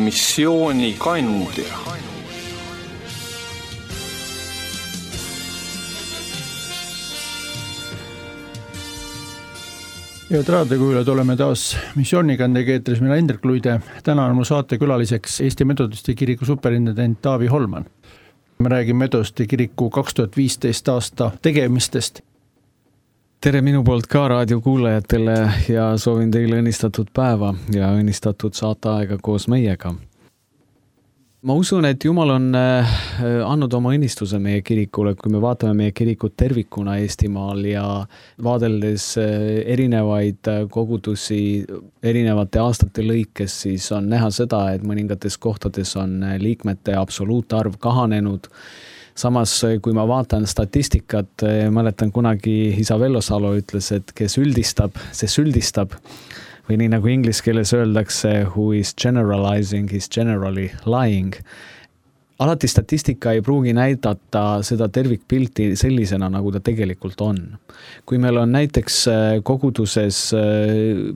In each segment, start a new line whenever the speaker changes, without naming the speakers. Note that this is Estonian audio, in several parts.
missioonikandja.
Head raadiokuulajad, oleme taas missioonikandega eetris, mina Indrek Luide. Täna on mu saatekülaliseks Eesti Metodisti kiriku superintendent Taavi Holman. Me räägime Metodisti kiriku 2015 aasta tegemistest.
Tere minu poolt ka raadiokuulajatele ja soovin teile õnnistatud päeva ja õnnistatud saateaega koos meiega. Ma usun, et Jumal on andnud oma õnnistuse meie kirikule, kui me vaatame meie kirikut tervikuna Eestimaal ja vaadeldes erinevaid kogudusi erinevate aastate lõikes, siis on näha seda, et mõningates kohtades on liikmete absoluutarv kahanenud. Samas, kui ma vaatan statistikat, mäletan kunagi isa Vello Salo ütles, et kes üldistab, see süldistab. Või nii nagu inglise keeles öeldakse, who is generalizing is generally lying. Alati statistika ei pruugi näidata seda tervikpilti sellisena, nagu ta tegelikult on. Kui meil on näiteks koguduses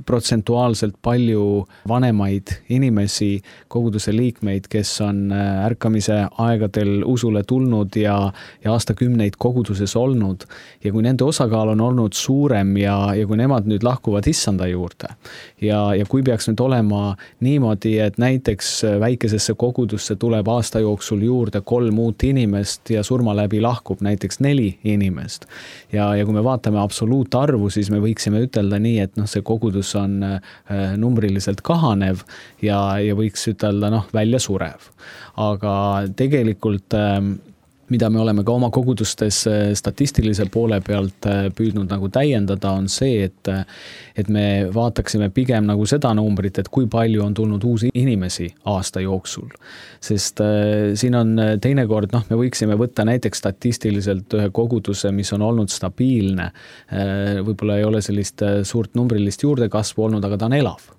protsentuaalselt palju vanemaid inimesi, koguduse liikmeid, kes on ärkamise aegadel usule tulnud ja aastakümneid koguduses olnud, ja kui nende osakaal on olnud suurem ja kui nemad nüüd lahkuvad issanda juurde, ja kui peaks nüüd olema niimoodi, et näiteks väikesesse kogudusse tuleb aasta jooksul juurde 3 uut inimest ja surma läbi lahkub näiteks 4 inimest. Ja kui me vaatame absoluutarvu, siis me võiksime ütelda nii, et see kogudus on numbriliselt kahanev ja võiks ütelda välja surev. Aga tegelikult mida me oleme ka oma kogudustes statistilise poole pealt püüdnud nagu täiendada, on see, et me vaataksime pigem nagu seda numbrit, et kui palju on tulnud uusi inimesi aasta jooksul. Sest siin on teinekord, me võiksime võtta näiteks statistiliselt ühe koguduse, mis on olnud stabiilne. Võib-olla ei ole sellist suurt numbrilist juurdekasvu olnud, aga ta on elav.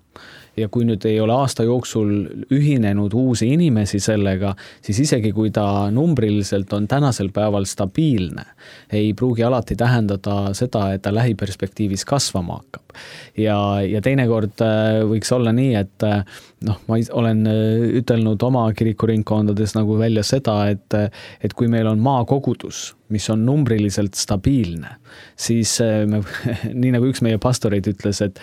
Ja kui nüüd ei ole aasta jooksul ühinenud uusi inimesi sellega, siis isegi kui ta numbriliselt on tänasel päeval stabiilne, ei pruugi alati tähendada seda, et ta lähiperspektiivis kasvama hakkab. Ja teinekord võiks olla nii, et ma olen ütelnud oma kirikuringkondades nagu välja seda, et kui meil on maakogudus, mis on numbriliselt stabiilne, siis nii nagu üks meie pastoreid ütles, et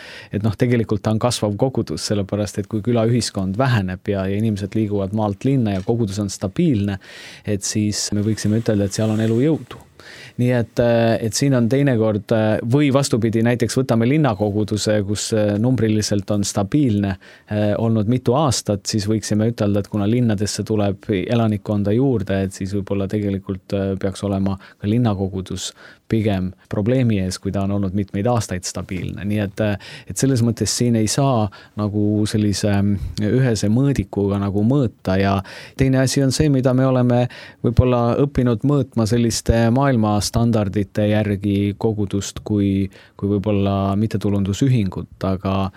tegelikult ta on kasvav kogudus, sellepärast, et kui külaühiskond väheneb ja inimesed liiguvad maalt linna ja kogudus on stabiilne, et siis me võiksime ütelda, et seal on elujõudu. Nii et siin on teinekord või vastupidi, näiteks võtame linnakoguduse, kus numbriliselt on stabiilne olnud mitu aastat, siis võiksime ütelda, et kuna linnadesse tuleb elanikkonda juurde, et siis võib-olla tegelikult peaks olema ka linnakogudus pigem probleemi ees, kui ta on olnud mitmeid aastaid stabiilne. Nii et selles mõttes siin ei saa nagu sellise ühese mõõdikuga nagu mõõta ja teine asi on see, mida me oleme võib-olla õppinud mõõtma selliste maailma standardite järgi kogudust kui võib-olla mittetulundusühingut, aga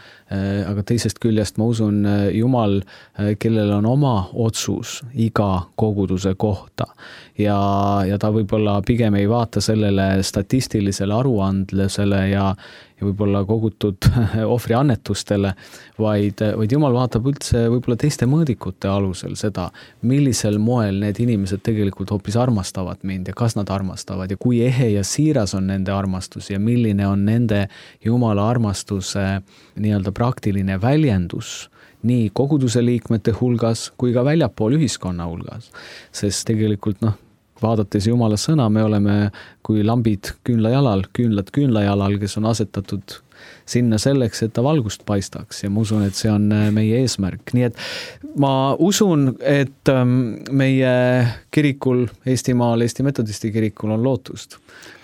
teisest küljest ma usun Jumal, kellel on oma otsus iga koguduse kohta ja ta võib-olla pigem ei vaata sellele statistilisele aruandlusele ja võib-olla kogutud ohvriannetustele, vaid Jumal vaatab üldse võib-olla teiste mõõdikute alusel seda, millisel moel need inimesed tegelikult hoopis armastavad mind ja kas nad armastavad ja kui ehe ja siiras on nende armastus ja milline on nende Jumala armastuse nii-öelda praktiline väljendus nii koguduse liikmete hulgas kui ka väljapool ühiskonna hulgas. Sest tegelikult vaadates Jumala sõna, me oleme kui lambid küünlajalal, küünlad küünlajalal, kes on asetatud sinna selleks, et ta valgust paistaks ja ma usun, et see on meie eesmärk. Nii et ma usun, et meie kirikul Eestimaal, Eesti Metodisti kirikul on lootust.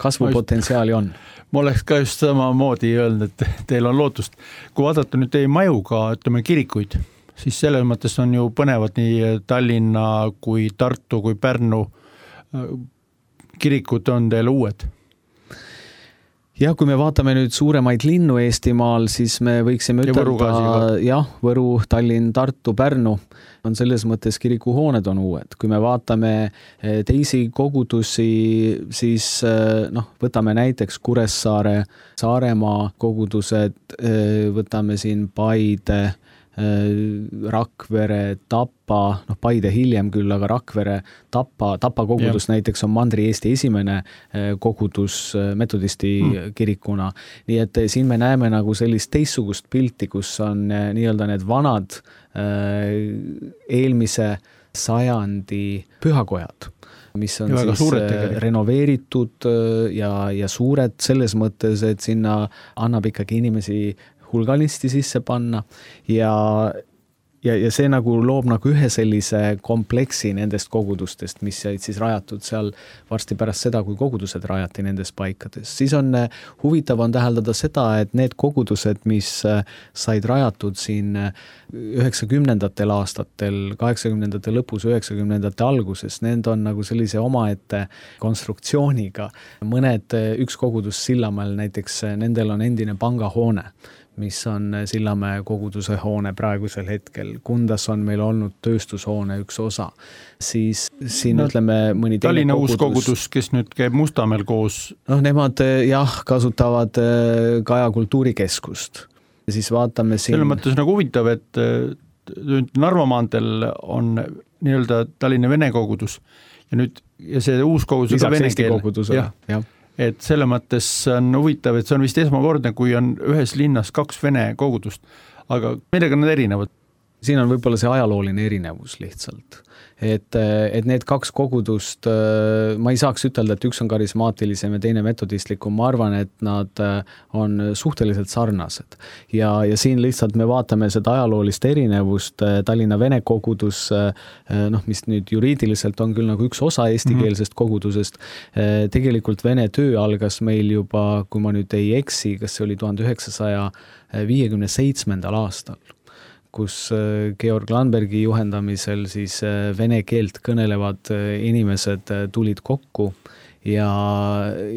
Kasvupotentsiaali on.
Ma oleks ka just samamoodi öelnud, et teil on lootust. Kui vaadata nüüd teie majuga, ütleme kirikuid, siis selles mõttes on ju põnevad nii Tallinna kui Tartu kui Pärnu kirikud on teil uued.
Ja kui me vaatame nüüd suuremaid linnu Eestimaal, siis me võiksime ütelda, Võru, Tallinn, Tartu, Pärnu on selles mõttes kirikuhooned on uued. Kui me vaatame teisi kogudusi, siis võtame näiteks Kuressaare, Saaremaa kogudused, võtame siin Paide, Rakvere, Tapa, Paide hiljem küll, aga Rakvere, Tapa kogudus näiteks on Mandri-Eesti esimene kogudus metodisti kirikuna. Nii et siin me näeme nagu sellist teistsugust pilti, kus on nii-öelda need vanad eelmise sajandi pühakojad, mis on
ja
siis renoveeritud ja suured selles mõttes, et sinna annab ikkagi inimesi hulganisti sisse panna ja see nagu loob nagu ühe sellise kompleksi nendest kogudustest, mis jäid siis rajatud seal varsti pärast seda, kui kogudused rajati nendes paikades. Siis on huvitav on täheldada seda, et need kogudused, mis said rajatud siin 90ndatel aastatel, 80ndate lõpus, 90ndate alguses, need on nagu sellise omaette konstruktsiooniga. Üks kogudus Sillamäel näiteks, nendel on endine pangahoone, mis on Sillamäe koguduse hoone praegusel hetkel. Kundas on meil olnud tööstushoone üks osa. Siis siin ütleme mõni teine
Tallinna uus kogudus, kes nüüd käib Mustamäel koos.
Nemad kasutavad Kaja kultuurikeskust. Ja siis vaatame siin.
Selle mõttes nagu huvitav, et Narva maanteel on nii-öelda Tallinna vene kogudus ja see uus kogudus
lisaks vene Eesti kogudusele. Jah.
Et selle mõttes on huvitav, et see on vist esmakordne, kui on ühes linnas 2 vene kogudust, aga millega nad erinevad?
Siin on võib-olla see ajalooline erinevus lihtsalt. Et need 2 kogudust, ma ei saaks ütelda, et üks on karismaatilisem ja teine metodistlikum, ma arvan, et nad on suhteliselt sarnased. Ja siin lihtsalt me vaatame seda ajaloolist erinevust, Tallinna vene kogudus, mis nüüd juriidiliselt on küll nagu üks osa eestikeelsest kogudusest, tegelikult vene töö algas meil juba, kui ma nüüd ei eksi, kas see oli 1957. aastal, kus Georg Landbergi juhendamisel siis vene keelt kõnelevad inimesed tulid kokku ja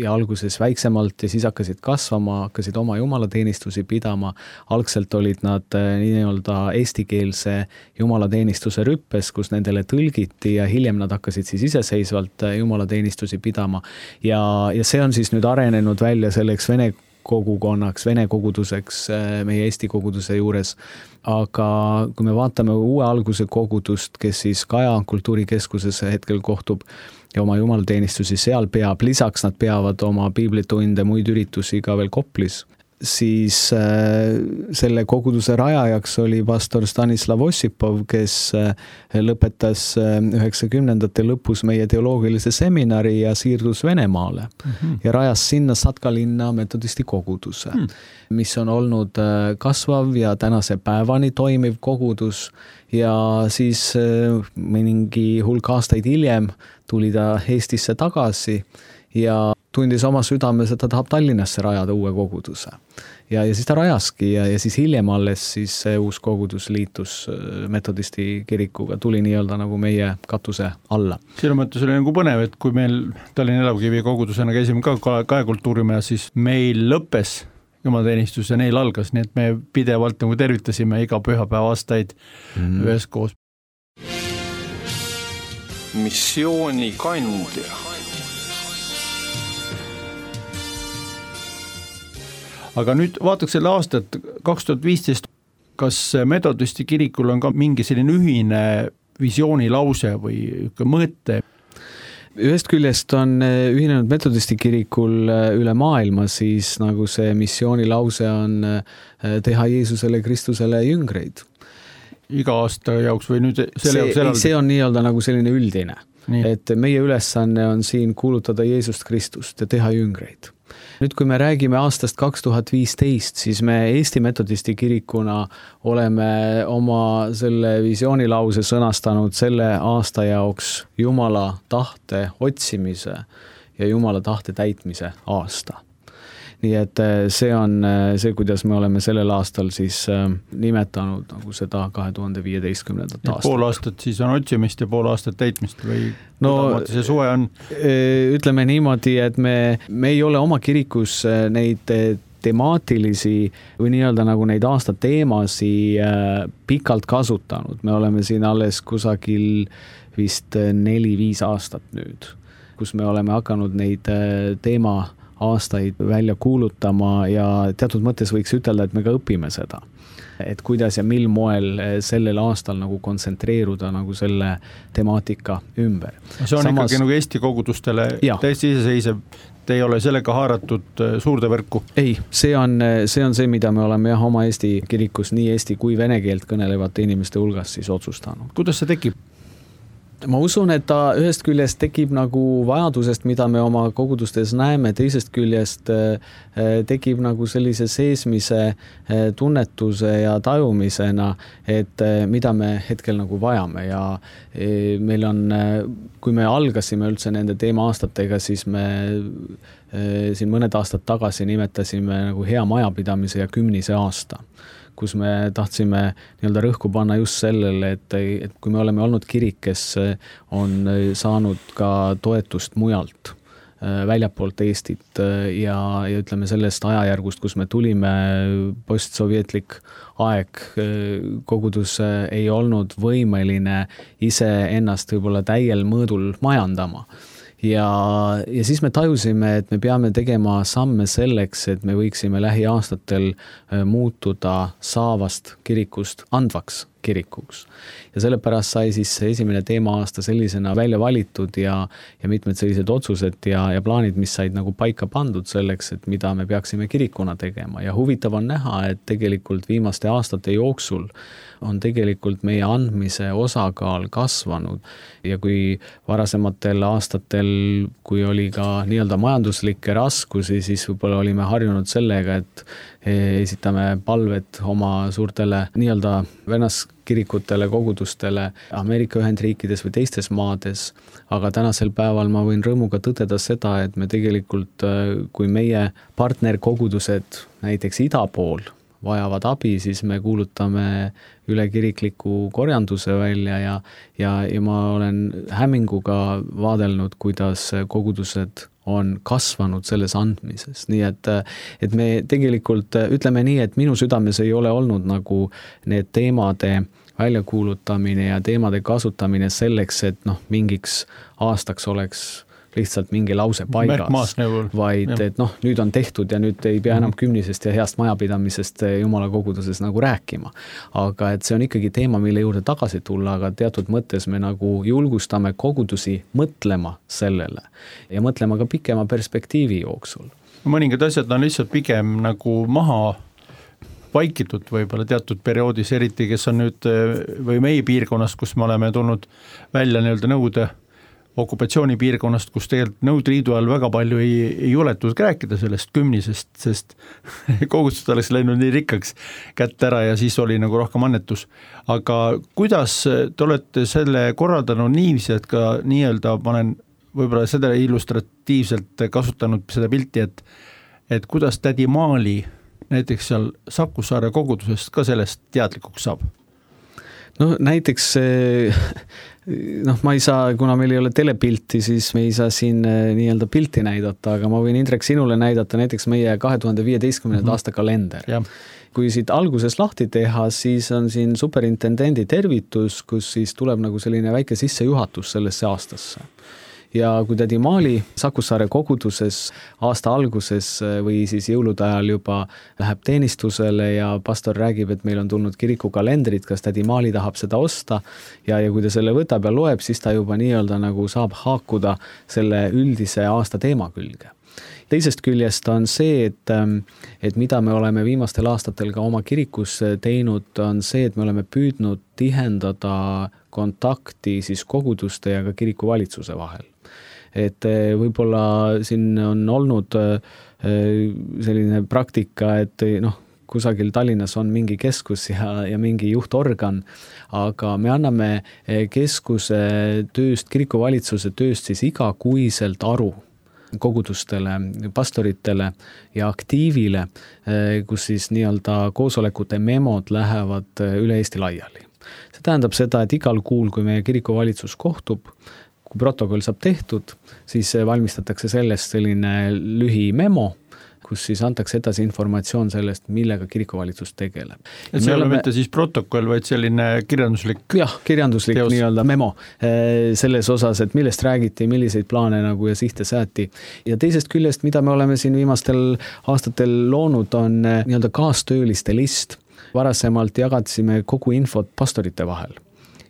alguses väiksemalt ja siis hakkasid kasvama, hakkasid oma jumalateenistusi pidama. Algselt olid nad nii-öelda eestikeelse jumalateenistuse rüppes, kus nendele tõlgiti ja hiljem nad hakkasid siis iseseisvalt jumalateenistusi pidama. Ja see on siis nüüd arenenud välja selleks vene kogukonnaks, vene koguduseks meie Eesti koguduse juures. Aga kui me vaatame uue alguse kogudust, kes siis Kaja kultuurikeskuses hetkel kohtub ja oma jumalateenistusi seal peab, lisaks nad peavad oma piiblitunde, muid üritusi ka veel Koplis, siis selle koguduse rajajaks oli pastor Stanislav Ossipov, kes lõpetas 90ndate lõpus meie teoloogilise seminari ja siirdus Venemaale ja rajas sinna Satkalinna metodisti koguduse, mis on olnud kasvav ja tänase päevani toimiv kogudus ja siis mingi hulk aastaid hiljem tuli ta Eestisse tagasi ja tundis oma südames, et ta tahab Tallinnasse rajada uue koguduse. Ja siis ta rajaski ja siis hiljem alles siis see uus kogudus liitus metodisti kirikuga, tuli nii-öelda nagu meie katuse alla.
Selle mõttes oli nagu põnev, et kui meil Tallinna Elavkivi kogudusena käisime ka Kaja kultuurimajas, siis meil lõppes jumalateenistus ja neil algas, nii et me pidevalt nagu tervitasime iga pühapäeva aastaid üheskoos.
Missiooni kandja.
Aga nüüd vaataks selle aastat 2015, kas metodisti kirikul on ka mingi selline ühine visioonilause või mõte?
Ühest küljest on ühinenud metodisti kirikul üle maailma, siis nagu see missioonilause on teha Jeesusele Kristusele jüngreid.
Iga aasta jaoks või nüüd
see on nii-öelda nagu selline üldine, et meie ülesanne on siin kuulutada Jeesust Kristust ja teha jüngreid. Nüüd, kui me räägime aastast 2015, siis me Eesti metodisti kirikuna oleme oma selle visioonilause sõnastanud selle aasta jaoks Jumala tahte otsimise ja Jumala tahte täitmise aasta. Nii et see on see, kuidas me oleme sellel aastal siis nimetanud nagu seda 2015. aastat.
Pool aastat siis on otsimist ja pool aastat täitmist või see suve on?
Ütleme niimoodi, et me ei ole oma kirikus neid temaatilisi või nii-öelda nagu neid aastateemasi pikalt kasutanud. Me oleme siin alles kusagil vist 4-5 aastat nüüd, kus me oleme hakanud neid teema aastaid välja kuulutama ja teatud mõttes võiks ütelda, et me ka õpime seda. et kuidas ja mil moel sellel aastal nagu kontsentreeruda nagu selle temaatika ümber.
See on ikkagi nagu Eesti kogudustele täiesti iseseisev, te ei ole sellega haaratud suurde võrku?
Ei, see on see, mida me oleme oma Eesti kirikus nii eesti kui vene keelt kõnelevate inimeste hulgas siis otsustanud.
Kuidas see tekib?
Ma usun, et ta ühest küljest tekib nagu vajadusest, mida me oma kogudustes näeme, teisest küljest tekib nagu sellise seesmise tunnetuse ja tajumisena, et mida me hetkel nagu vajame ja meil on, kui me algasime üldse nende teema-aastatega, siis me siin mõned aastad tagasi nimetasime nagu hea majapidamise ja 10. aasta, kus me tahtsime nii-öelda rõhku panna just sellele, et kui me oleme olnud kirik, kes on saanud ka toetust mujalt, väljapoolt Eestit ja ütleme sellest ajajärgust, kus me tulime, postsovjetlik aeg, kogudus ei olnud võimeline ise ennast võib-olla täiel mõõdul majandama. Ja siis me tajusime, et me peame tegema samme selleks, et me võiksime lähiaastatel muutuda saavast kirikust andvaks kirikuks. Ja sellepärast sai siis esimene teema-aasta sellisena välja valitud ja mitmed sellised otsused ja plaanid, mis said nagu paika pandud selleks, et mida me peaksime kirikuna tegema. Ja huvitav on näha, et tegelikult viimaste aastate jooksul on tegelikult meie andmise osakaal kasvanud ja kui varasematel aastatel, kui oli ka nii-öelda majanduslikke raskusi, siis võib-olla olime harjunud sellega, et esitame palved oma suurtele nii-öelda vennaskirikutele, kogudustele Ameerika Ühendriikides või teistes maades, aga tänasel päeval ma võin rõõmuga tõdeda seda, et me tegelikult, kui meie partnerkogudused näiteks ida pool vajavad abi, siis me kuulutame üle kirikliku korjanduse välja ja ma olen hämminguga vaadelnud, kuidas kogudused on kasvanud selles andmises. Nii et me tegelikult ütleme nii, et minu südames ei ole olnud nagu need teemade väljakuulutamine ja teemade kasutamine selleks, et mingiks aastaks oleks lihtsalt mingi lause paigas, vaid et nüüd on tehtud ja nüüd ei pea enam 10. ja heast majapidamisest Jumala koguduses nagu rääkima. Aga et see on ikkagi teema, mille juurde tagasi tulla, aga teatud mõttes me nagu julgustame kogudusi mõtlema sellele ja mõtlema ka pikema perspektiivi jooksul.
Mõningad asjad on lihtsalt pigem nagu maha vaikitud võib-olla teatud perioodis, eriti kes on nüüd või meie piirkonnas, kus me oleme tulnud välja nii-öelda Nõukogude okupatsioonipiirkonnast, kus tegelikult Nõukogude Liidu ajal väga palju ei juletud rääkida sellest 10, sest kogudused oleks läinud nii rikkaks kätte ära ja siis oli nagu rohkem annetus. Aga kuidas te olete selle korraldanud niiviisi, et ka nii-öelda ma olen võib-olla seda illustratiivselt kasutanud seda pilti, et kuidas tädi Maali näiteks seal Sakussaare kogudusest ka sellest teadlikuks saab?
Näiteks ma ei saa, kuna meil ei ole telepilti, siis me ei saa siin nii-öelda pilti näidata, aga ma võin Indrek sinule näidata näiteks meie 2015. aasta kalender. Ja. Kui siit alguses lahti teha, siis on siin superintendendi tervitus, kus siis tuleb nagu selline väike sissejuhatus sellesse aastasse. Ja kui tädi Maali Sakussaare koguduses aasta alguses või siis jõulude ajal juba läheb teenistusele ja pastor räägib, et meil on tulnud kirikukalendrid, kas tädi Maali tahab seda osta ja kui ta selle võtab ja loeb, siis ta juba nii-öelda nagu saab haakuda selle üldise aasta teema külge. Teisest küljest on see, et mida me oleme viimastel aastatel ka oma kirikus teinud, on see, et me oleme püüdnud tihendada kontakti siis koguduste ja ka kirikuvalitsuse vahel. Et võib-olla siin on olnud selline praktika, et kusagil Tallinnas on mingi keskus ja mingi juhtorgan, aga me anname keskuse tööst, kirikuvalitsuse tööst siis igakuiselt aru kogudustele, pastoritele ja aktiivile, kus siis nii-öelda koosolekute memod lähevad üle Eesti laiali. See tähendab seda, et igal kuul, kui meie kirikuvalitsus kohtub, kui protokoll saab tehtud, siis valmistatakse sellest selline lühimemo, kus siis antakse edasi informatsioon sellest, millega kirikuvalitsus tegeleb.
Et see ei ole mitte siis protokoll, vaid selline kirjanduslik
kirjanduslik teos. Nii-öelda memo selles osas, et millest räägiti, milliseid plaane nagu ja sihte sääti. Ja teisest küljest, mida me oleme siin viimastel aastatel loonud, on nii-öelda kaastööliste list, Varasemalt jagasime kogu infot pastorite vahel.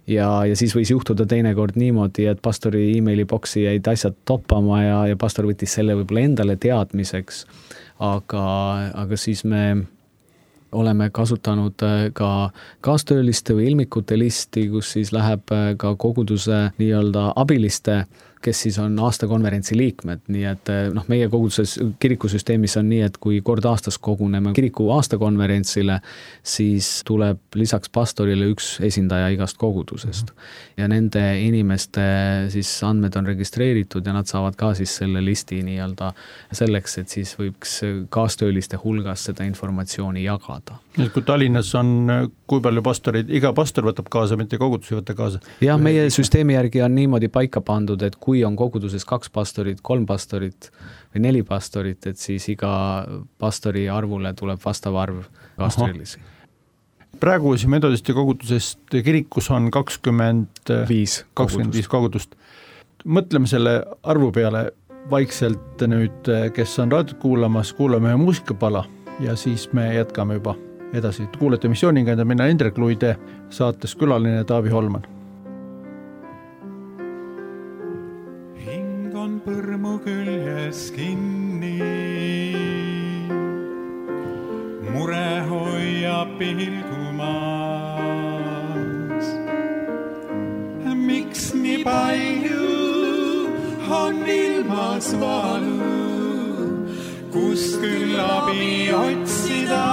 Ja siis võis juhtuda teinekord niimoodi, et pastori emailiboksi jäid asjad toppama ja pastor võttis selle võib-olla endale teadmiseks, aga siis me oleme kasutanud ka kaastööliste või ilmikute listi, kus siis läheb ka koguduse nii-öelda abiliste, kes siis on aastakonverentsi liikmed, nii et meie koguduses kirikusüsteemis on nii, et kui kord aastas koguneme kiriku aastakonverentsile, siis tuleb lisaks pastorile üks esindaja igast kogudusest. Ja nende inimeste siis andmed on registreeritud ja nad saavad ka siis selle listi nii-öelda selleks, et siis võiks kaastööliste hulgas seda informatsiooni jagada.
Kui Tallinnas on kui palju pastorid, iga pastor võtab kaasa, mitte kogudus ei võta kaasa?
Ja meie süsteemi järgi on niimoodi paika pandud, et kui on koguduses 2 pastorit, 3 pastorit või 4 pastorit, et siis iga pastori arvule tuleb vastav arv kaastöölisi.
Praegu siin metodisti kogudusest kirikus on 25 kogudust. Mõtleme selle arvu peale vaikselt nüüd, kes on raadiot kuulamas, kuulame ühe muusikapala ja siis me jätkame juba edasi. Kuulete missiooniga, mina Indrek Luide, saates külaline Taavi Holman.
Hing on põrmu küljes kinni, mure hoiab pilgu maas. Miks nii palju on ilmas valu, kus küll abi otsida?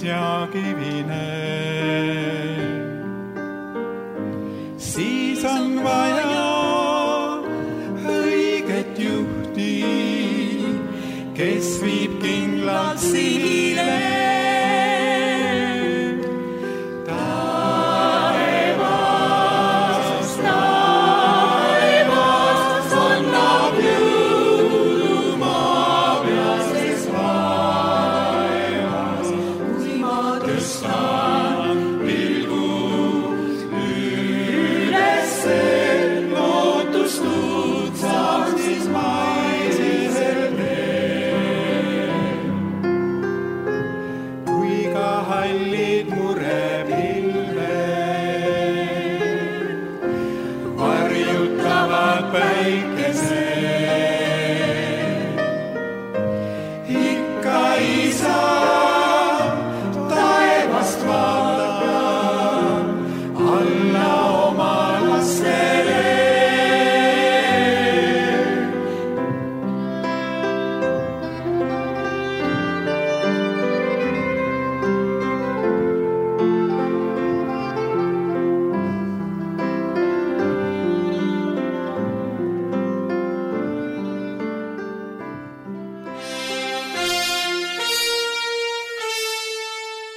Ja kivine, siis on vaja õiget juhti, kes viib kindlalt sihile.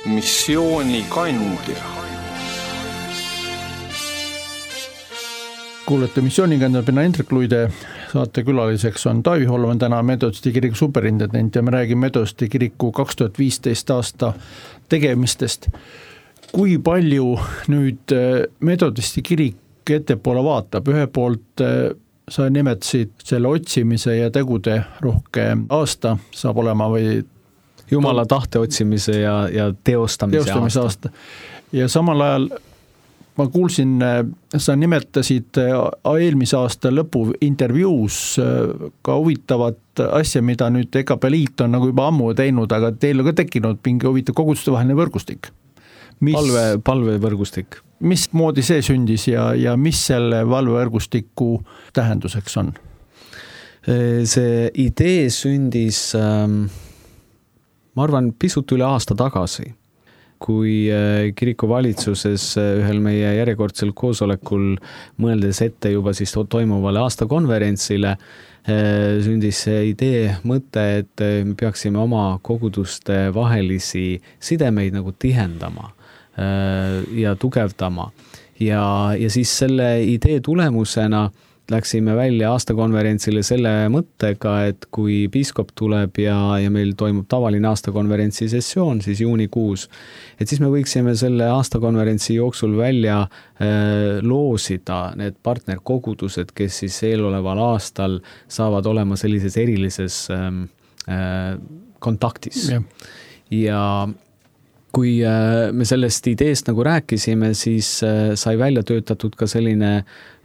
Missioonikandja.
Kuulete missiooniga, mina Indrek Luide, saate külaliseks on Taavi Holman, täna metodisti kiriku superintendent ja me räägime metodisti kiriku 2015 aasta tegemistest. Kui palju nüüd metodisti kirik ettepoole vaatab? Ühe poolt sa nimetasid selle otsimise ja tegude rohke aasta saab olema või
Jumala tahte otsimise ja teostamise aasta.
Ja samal ajal ma kuulsin, sa nimetasid eelmise aasta lõpu intervjuus ka huvitavat asja, mida nüüd EKP Liit on nagu juba ammu teinud, aga teil on ka tekkinud mingi huvitav koguduste vaheline võrgustik.
Palvevõrgustik.
Mis moodi see sündis ja mis selle valvevõrgustiku tähenduseks on?
See idee sündis ma arvan pisut üle aasta tagasi kui kirikuvalitsuses ühel meie järjekordsel koosolekul mõeldes ette juba siis toimuvale aastakonverentsile, sündis see idee, mõte, et me peaksime oma koguduste vahelisi sidemeid nagu tihendama ja tugevdama. Ja siis selle idee tulemusena läksime välja aastakonverentsile selle mõttega, et kui piiskop tuleb ja meil toimub tavaline aastakonverentsi sessioon, siis juunikuus, et siis me võiksime selle aastakonverentsi jooksul välja loosida need partnerkogudused, kes siis eeloleval aastal saavad olema sellises erilises kontaktis. Ja kui me sellest ideest nagu rääkisime, siis sai välja töötatud ka selline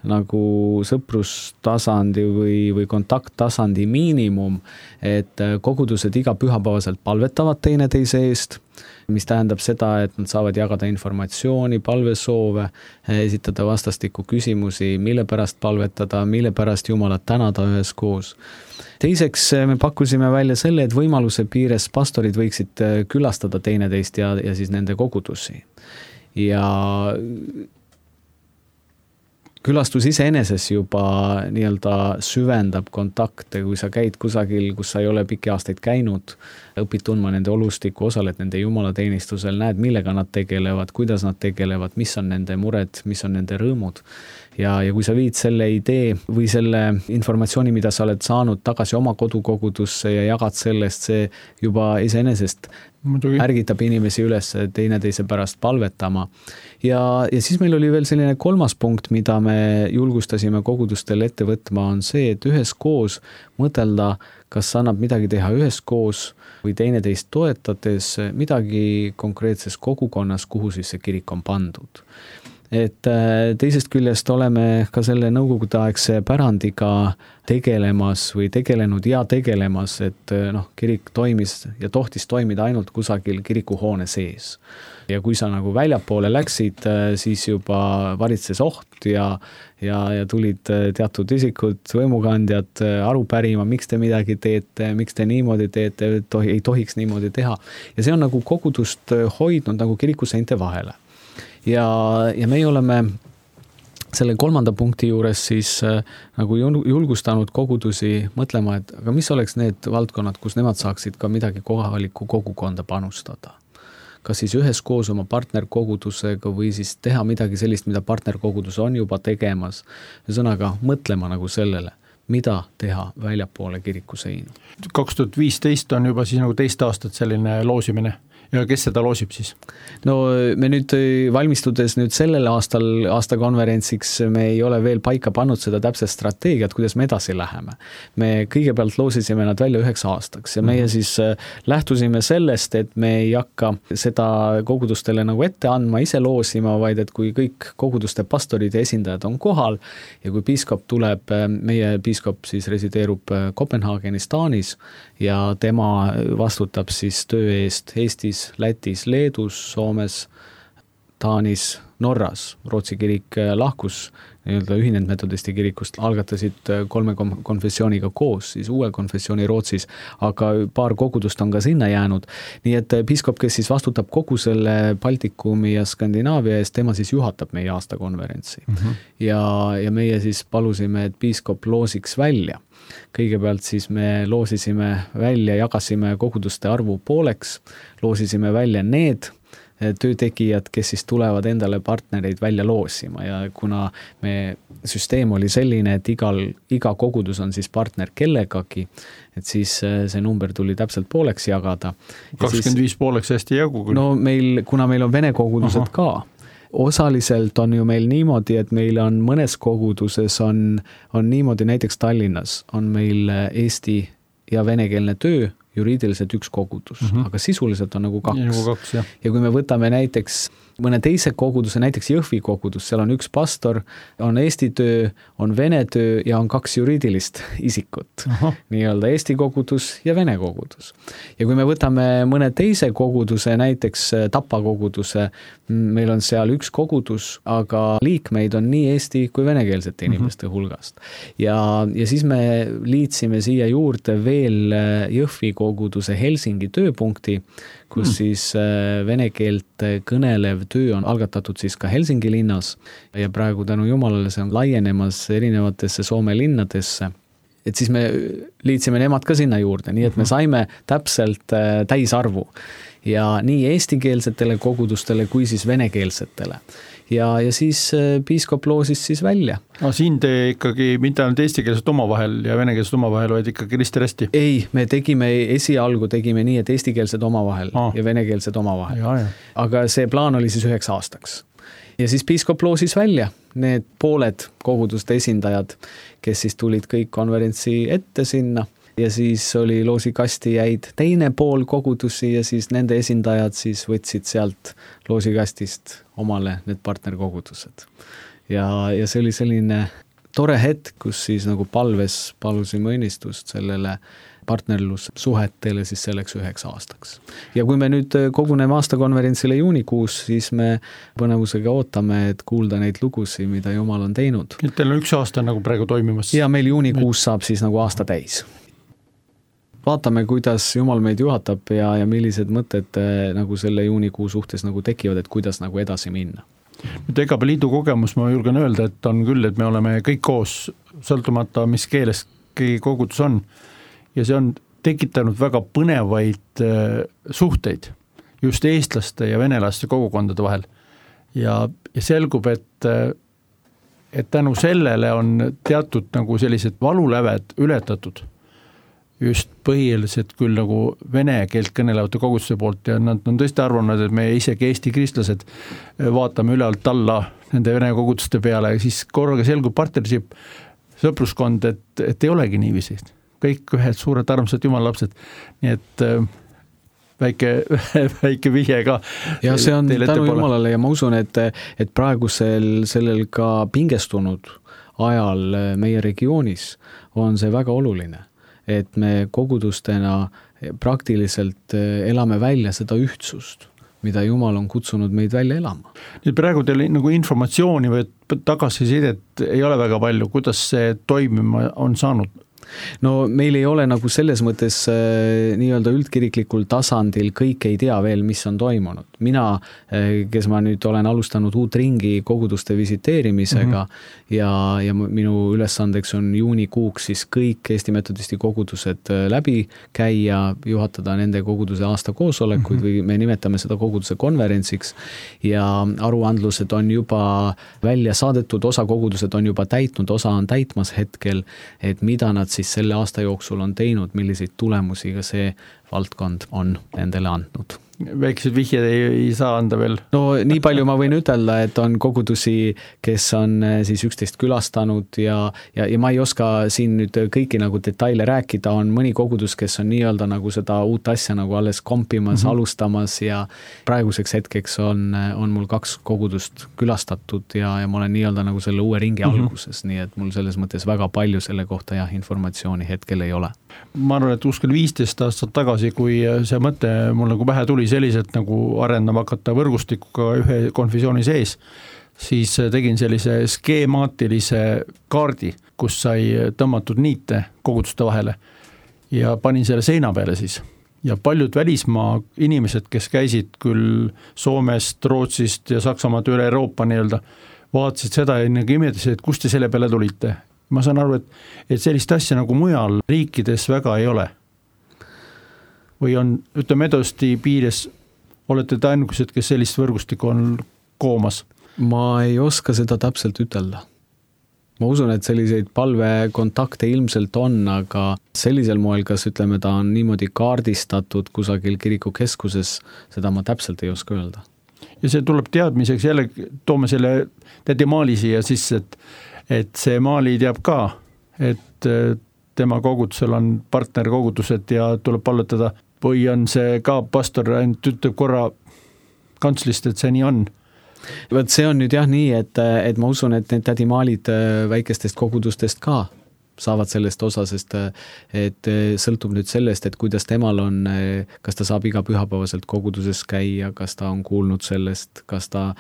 nagu sõprustasandi või kontakttasandi miinimum, et kogudused iga pühapäevaselt palvetavad teineteise eest, mis tähendab seda, et nad saavad jagada informatsiooni, palvesoove, esitada vastastikku küsimusi, mille pärast palvetada, mille pärast Jumalat tänada üheskoos. Teiseks me pakkusime välja selle, et võimaluse piires pastorid võiksid külastada teineteist ja siis nende kogudusi. Ja külastus iseeneses juba nii-öelda süvendab kontakte, kui sa käid kusagil, kus sa ei ole pikki aastaid käinud, õpid tundma nende olustikku, osaled nende jumalateenistusel, näed, millega nad tegelevad, kuidas nad tegelevad, mis on nende mured, mis on nende rõõmud. Ja kui sa viid selle idee või selle informatsiooni, mida sa oled saanud tagasi oma kodukogudusse ja jagad sellest, see juba iseenesest ärgitab inimesi üles teineteise pärast palvetama. Ja siis meil oli veel selline kolmas punkt, mida me julgustasime kogudustel ette võtma, on see, et üheskoos mõtelda, kas annab midagi teha üheskoos või teineteist toetades midagi konkreetses kogukonnas, kuhu siis see kirik on pandud. Et teisest küljest oleme ka selle nõukogudeaegse pärandiga tegelemas või tegelenud ja tegelemas, et kirik toimis ja tohtis toimida ainult kusagil kirikuhoone sees. Ja kui sa nagu väljapoole läksid, siis juba valitses oht ja tulid teatud isikud, võimukandjad aru pärima, miks te midagi teete, miks te niimoodi teete, ei tohiks niimoodi teha. Ja see on nagu kogudust hoidnud nagu kirikuseinte vahele. Ja meie oleme selle kolmanda punkti juures siis nagu julgustanud kogudusi mõtlema, et aga mis oleks need valdkonnad, kus nemad saaksid ka midagi kohalikku kogukonda panustada. Kas siis üheskoos oma partnerkogudusega või siis teha midagi sellist, mida partnerkogudus on juba tegemas. Ühesõnaga mõtlema nagu sellele, mida teha väljapoole kirikuseinu.
2015 on juba siis nagu teist aastat selline loosimine. Ja kes seda loosib siis?
No me nüüd valmistudes nüüd sellel aastakonverentsiks me ei ole veel paika pannud seda täpset strateegiat, kuidas me edasi läheme. Me kõigepealt loosisime nad välja 9 aastaks ja meie siis lähtusime sellest, et me ei hakka seda kogudustele nagu ette andma, ise loosima, vaid et kui kõik koguduste pastorid ja esindajad on kohal ja kui piiskop tuleb, meie piiskop siis resideerub Kopenhaagenis, Taanis ja tema vastutab siis töö eest Eestis, Lätis, Leedus, Soomes, Taanis, Norras. Rootsi kirik lahkus nii-öelda ühinenud metodisti kirikust, algatasid 3 konfessiooniga koos, siis uue konfessiooni Rootsis, aga paar kogudust on ka sinna jäänud. Nii et piiskop, kes siis vastutab kogu selle Baltikumi ja Skandinaavia eest, tema siis juhatab meie aastakonverentsi. Ja meie siis palusime, et piiskop loosiks välja. Kõigepealt siis me loosisime välja, jagasime koguduste arvu pooleks, loosisime välja need töötegijad, kes siis tulevad endale partnereid välja loosima ja kuna me süsteem oli selline, et iga kogudus on siis partner kellegagi, et siis see number tuli täpselt pooleks jagada.
25 pooleks hästi jagu.
No kuna meil on vene kogudused ka, osaliselt on ju meil niimoodi, et meil on mõnes koguduses on niimoodi, näiteks Tallinnas on meil eesti ja venekeelne töö, juriidiliselt 1 kogudus, aga sisuliselt on nagu 2. Ja kui me võtame näiteks mõne teise koguduse, näiteks Jõhvi kogudus, seal on 1 pastor, on eesti töö, on vene töö ja on 2 juriidilist isikut. Nii-öelda eesti kogudus ja vene kogudus. Ja kui me võtame mõne teise koguduse, näiteks Tapa koguduse, meil on seal 1 kogudus, aga liikmeid on nii eesti kui venekeelsete inimeste hulgast. Ja siis me liitsime siia juurde veel Jõhvi koguduse Helsingi tööpunkti, kus siis vene keelt kõnelev töö on algatatud siis ka Helsingi linnas ja praegu tänu jumalale see on laienemas erinevatesse Soome linnadesse. Et siis me liitsime nemad ka sinna juurde, nii et me saime täpselt täisarvu ja nii eestikeelsetele kogudustele kui siis venekeelsetele. Ja siis piiskop loosis siis välja.
Siin te ikkagi mitte ainult eestikeelset omavahel ja venekeelset omavahel, vaid ikkagi risti-resti?
Ei, me esialgu tegime nii, et eestikeelsed omavahel ja venekeelsed omavahel. Aga see plaan oli siis 9 aastaks. Ja siis piiskop loosis välja need pooled koguduste esindajad, kes siis tulid kõik konverentsi ette sinna. Ja siis oli loosikasti jäid teine pool kogudusi ja siis nende esindajad siis võtsid sealt loosikastist omale need partnerkogudused. Ja see oli selline tore hetk, kus siis nagu palusime õnnistust sellele partnerlussuhetele siis selleks 9 aastaks. Ja kui me nüüd koguneme aastakonverentsile juunikuus, siis me põnevusega ootame, et kuulda neid lugusid, mida Jumal on teinud.
Teil on 1 aasta nagu praegu toimimas?
Ja meil juunikuus saab siis nagu aasta täis. Vaatame, kuidas Jumal meid juhatab ja millised mõtted nagu selle juunikuu suhtes nagu tekivad, et kuidas nagu edasi minna.
Nüüd EGAPE liidu kogemus ma julgen öelda, et on küll, et me oleme kõik koos, sõltumata mis keeles keegi kogudus on. Ja see on tekitanud väga põnevaid suhteid just eestlaste ja venelaste kogukondade vahel. Ja selgub, et tänu sellele on teatud nagu sellised valuläved ületatud just põhiliselt küll nagu vene keelt kõnelevate koguduste poolt ja nad on tõesti arvanud, et me isegi eesti kristlased vaatame üle alt alla nende vene koguduste peale ja siis korraga selgub partnership sõpruskond, et ei olegi niiviisi. Kõik ühed suured armsad jumalapsed, nii et väike vihje ka.
Ja see on tänu Jumalale ja ma usun, et praegusel sellel ka pingestunud ajal meie regioonis on see väga oluline, et me kogudustena praktiliselt elame välja seda ühtsust, mida Jumal on kutsunud meid välja elama.
Nüüd praegu teil nagu informatsiooni või tagasisidet ei ole väga palju, kuidas see toimima on saanud?
No meil ei ole nagu selles mõttes nii-öelda üldkiriklikul tasandil kõik ei tea veel, mis on toimunud. Mina, kes ma nüüd olen alustanud uut ringi koguduste visiteerimisega ja minu ülesandeks on juunikuuks siis kõik Eesti Metodisti kogudused läbi käia, juhatada nende koguduse aasta koosolekuid või me nimetame seda koguduse konverentsiks ja aruandlused on juba välja saadetud, osa kogudused on juba täitnud, osa on täitmas hetkel, et mida nad siis selle aasta jooksul on teinud, milliseid tulemusi ka see valdkond on nendele andnud.
Väikesed vihjed ei saa anda veel?
No nii palju ma võin ütelda, et on kogudusi, kes on siis 11 külastanud ja ma ei oska siin nüüd kõiki nagu detaile rääkida, on mõni kogudus, kes on nii-öelda nagu seda uut asja nagu alles kompimas, alustamas ja praeguseks hetkeks on mul 2 kogudust külastatud ja ma olen nii-öelda nagu selle uue ringi alguses, nii et mul selles mõttes väga palju selle kohta informatsiooni hetkel ei ole.
Ma arvan, et uskul 15 aastat tagasi, kui see mõte mul nagu pähe tuli selliselt nagu arendama hakata võrgustikuga ühe konfessiooni sees, siis tegin sellise skeemaatilise kaardi, kus sai tõmmatud niite koguduste vahele ja panin selle seina peale siis. Ja paljud välismaa inimesed, kes käisid küll Soomest, Rootsist ja Saksamaad üle Euroopa nii-öelda, vaatasid seda ja imetasid, et kust te selle peale tulite. Ma saan aru, et sellist asja nagu mujal riikides väga ei ole. Või on, ütleme Metodisti piires, olete te ainukesed, kes sellist võrgustikku on koomas?
Ma ei oska seda täpselt ütelda. Ma usun, et selliseid palvekontakte ilmselt on, aga sellisel moel, kas ütleme, ta on niimoodi kaardistatud kusagil kirikukeskuses, seda ma täpselt ei oska öelda.
Ja see tuleb teadmiseks, jälle toome selle tädi Maali siia sisse, et see Maali teab ka, et tema kogudusel on partnerkogudused ja tuleb palvetada või on see ka pastor ainult ütleb korra kantslist, et see nii on.
See on nüüd jah nii, et ma usun, et need tädi Maalid väikestest kogudustest ka saavad sellest osa, sest et sõltub nüüd sellest, et kuidas temal on, kas ta saab iga pühapäevaselt koguduses käia, kas ta on kuulnud sellest, kas ta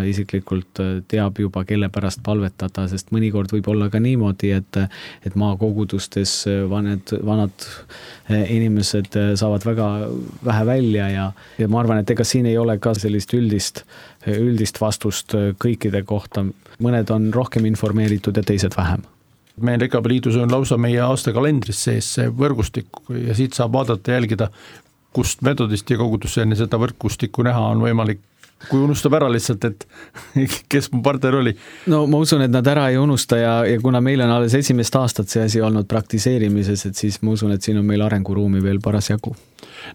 isiklikult teab juba, kelle pärast palvetada, sest mõnikord võib olla ka niimoodi, et maakogudustes vanad inimesed saavad väga vähe välja ja ma arvan, et ega siin ei ole ka sellist üldist vastust kõikide kohta. Mõned on rohkem informeeritud ja teised vähem.
Meil EKP liidus on lausa meie aastakalendris sees see võrgustik ja siit saab vaadata jälgida, kust metodisti kogudusse enne seda võrgustikku näha on võimalik, kui unustab ära lihtsalt, et kes mu partner oli.
No ma usun, et nad ära ei unusta ja kuna meil on alles esimest aastat see asi olnud praktiseerimises, et siis ma usun, et siin on meil arenguruumi veel parasjagu.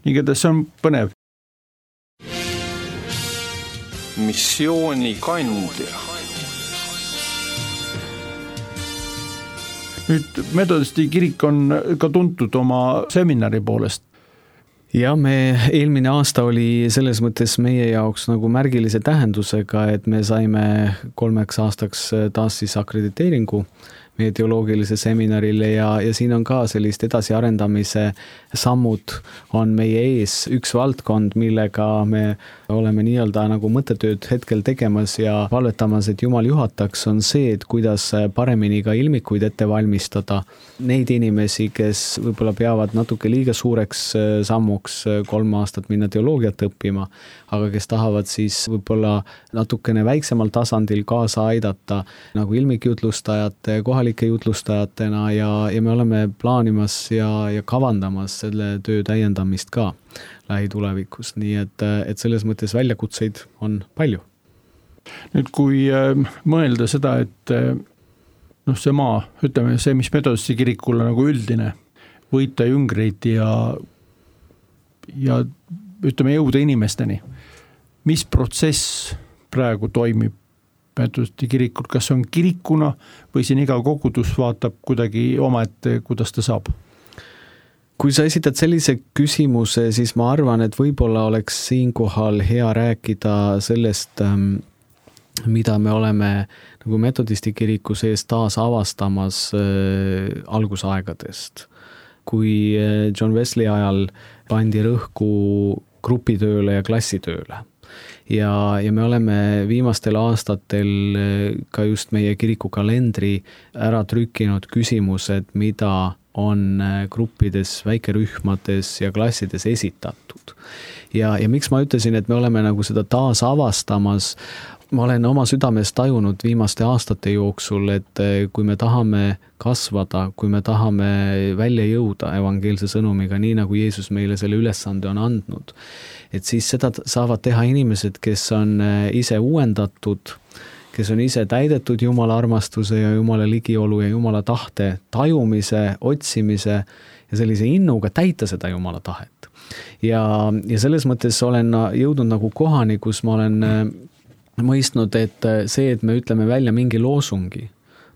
Nii et see on põnev.
Missiooni kandja.
Nüüd metodisti kirik on ka tuntud oma seminari poolest.
Ja me eelmine aasta oli selles mõttes meie jaoks nagu märgilise tähendusega, et me saime 3 aastaks taas siis akrediteeringu meie teoloogilise seminarile ja siin on ka sellist edasiarendamise sammud on meie ees. Üks valdkond, millega me oleme nii-öelda nagu mõttetööd hetkel tegemas ja palvetamas, et Jumal juhataks, on see, et kuidas paremini ka ilmikuid ette valmistada. Neid inimesi, kes võib-olla peavad natuke liiga suureks sammuks 3 aastat minna teoloogiat õppima, aga kes tahavad siis võib-olla natukene väiksemal tasandil kaasa aidata nagu ilmikjutlustajate, kohalike jutlustajatena ja me oleme plaanimas ja kavandamas selle töö täiendamist ka lähitulevikus, nii et selles mõttes väljakutseid on palju.
Nüüd kui mõelda seda, et see maa, ütleme see, mis metodisti kirikul on nagu üldine, võita jüngreid ja ütleme jõuda inimesteni. Mis protsess praegu toimib metodisti kirikul, kas on kirikuna või siin iga kogudus vaatab kuidagi omaette, kuidas ta saab?
Kui sa esitad sellise küsimuse, siis ma arvan, et võib-olla oleks siinkohal hea rääkida sellest, mida me oleme nagu metodisti kiriku sees taas avastamas algusaegadest. Kui John Wesley ajal pandi rõhku grupitööle ja klassitööle. Ja me oleme viimastel aastatel ka just meie kiriku kalendri ära trükkinud küsimused, mida on gruppides, väikerühmades ja klassides esitatud. Ja miks ma ütlesin, et me oleme nagu seda taas avastamas, ma olen oma südames tajunud viimaste aastate jooksul, et kui me tahame kasvada, kui me tahame välja jõuda evangeelse sõnumiga, nii nagu Jeesus meile selle ülesande on andnud, et siis seda saavad teha inimesed, kes on ise uuendatud, kes on ise täidetud Jumala armastuse ja Jumala ligiolu ja Jumala tahte tajumise, otsimise ja sellise innuga täita seda Jumala tahet. Ja selles mõttes olen jõudnud nagu kohani, kus ma olen mõistnud, et see, et me ütleme välja mingi loosungi,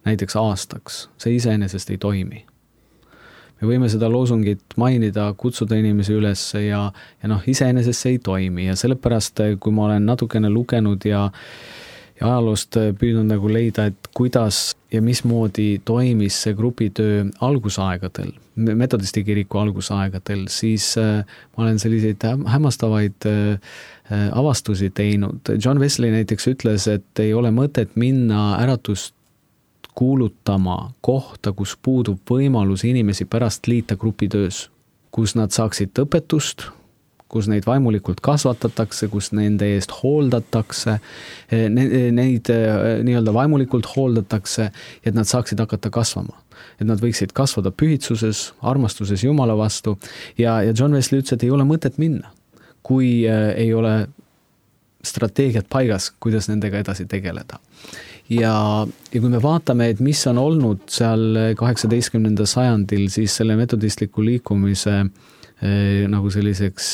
näiteks aastaks, see iseenesest ei toimi. Me võime seda loosungit mainida, kutsuda inimesi üles ja iseenesest see ei toimi ja sellepärast, kui ma olen natukene lugenud ja ajaloost püüdnud nagu leida, et kuidas ja mismoodi toimis see grupitöö algusaegadel, metodisti kiriku algusaegadel, siis ma olen selliseid hämmastavaid avastusi teinud. John Wesley näiteks ütles, et ei ole mõtet minna äratust kuulutama kohta, kus puudub võimalus inimesi pärast liita grupitöös, kus nad saaksid õpetust, kus neid vaimulikult kasvatatakse, kus nende eest hooldatakse, neid nii-öelda vaimulikult hooldatakse, et nad saaksid hakata kasvama. Et nad võiksid kasvada pühitsuses, armastuses Jumala vastu ja John Wesley ütles, et ei ole mõtet minna, kui ei ole strateegiat paigas, kuidas nendega edasi tegeleda. Ja kui me vaatame, et mis on olnud seal 18. sajandil, siis selle metodistliku liikumise nagu selliseks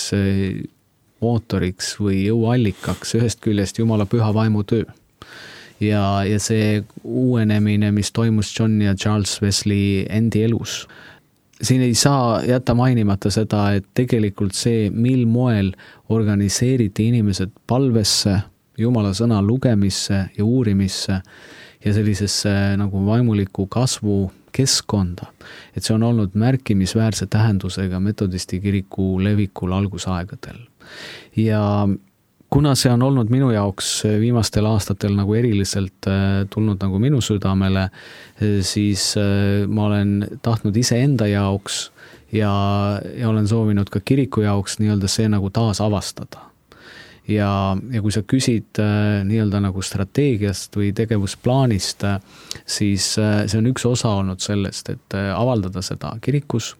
mootoriks või jõuallikaks ühest küljest Jumala püha vaimu töö. Ja see uuenemine, mis toimus John ja Charles Wesley endi elus. Siin ei saa jätta mainimata seda, et tegelikult see, mil moel organiseeriti inimesed palvesse, Jumala sõna lugemisse ja uurimisse ja sellisesse nagu vaimuliku kasvu keskkonda. Et see on olnud märkimisväärse tähendusega metodisti kiriku levikul algusaegadel. Ja kuna see on olnud minu jaoks viimastel aastatel nagu eriliselt tulnud nagu minu südamele, siis ma olen tahtnud iseenda jaoks ja olen soovinud ka kiriku jaoks nii-öelda see nagu taas avastada. Ja kui sa küsid nii-öelda nagu strateegiast või tegevusplaanist, siis see on üks osa olnud sellest, et avaldada seda kirikus,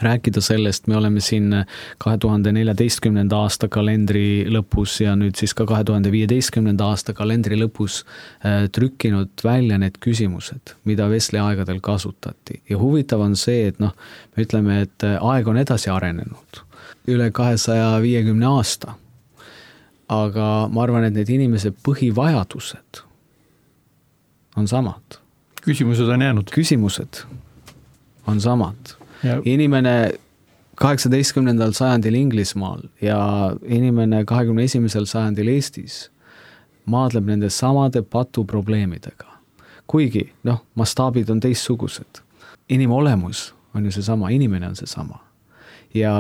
rääkida sellest, me oleme siin 2014. aasta kalendri lõpus ja nüüd siis ka 2015. aasta kalendri lõpus trükkinud välja need küsimused, mida Wesley aegadel kasutati. Ja huvitav on see, et me ütleme, et aeg on edasi arenenud üle 250 aasta. Aga ma arvan, et need inimese põhivajadused on samad.
Küsimused on jäänud.
Küsimused on samad.
Ja.
Inimene 18. sajandil Inglismaal ja inimene 21. sajandil Eestis maadleb nende samade patuprobleemidega. Kuigi, mastaabid on teistsugused. Inimolemus on ju see sama, inimene on see sama. Ja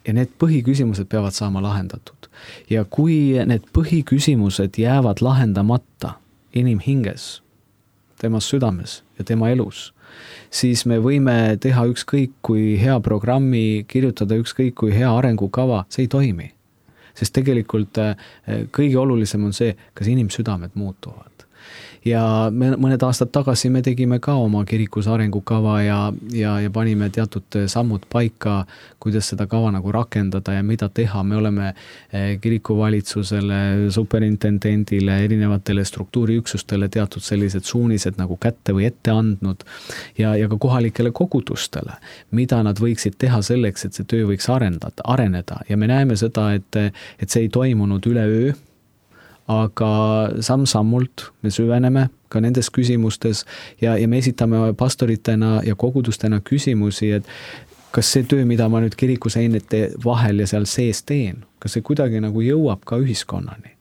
need põhiküsimused peavad saama lahendatud. Ja kui need põhiküsimused jäävad lahendamata inimhinges, tema südames ja tema elus, siis me võime teha ükskõik kui hea programmi, kirjutada ükskõik kui hea arengukava, see ei toimi. Sest tegelikult kõige olulisem on see, kas inimsüdamed muutuvad. Ja mõned aastad tagasi me tegime ka oma kirikus arengukava ja panime teatud sammud paika, kuidas seda kava nagu rakendada ja mida teha. Me oleme kirikuvalitsusele, superintendendile, erinevatele struktuuriüksustele teatud sellised suunised nagu kätte või ette andnud ja ka kohalikele kogudustele, mida nad võiksid teha selleks, et see töö võiks areneda. Ja me näeme seda, et see ei toimunud üleöö, aga samm-sammult me süveneme ka nendes küsimustes ja me esitame pastoritena ja kogudustena küsimusi, et kas see töö, mida ma nüüd kirikuseinete vahel ja seal sees teen, kas see kuidagi nagu jõuab ka ühiskonnani.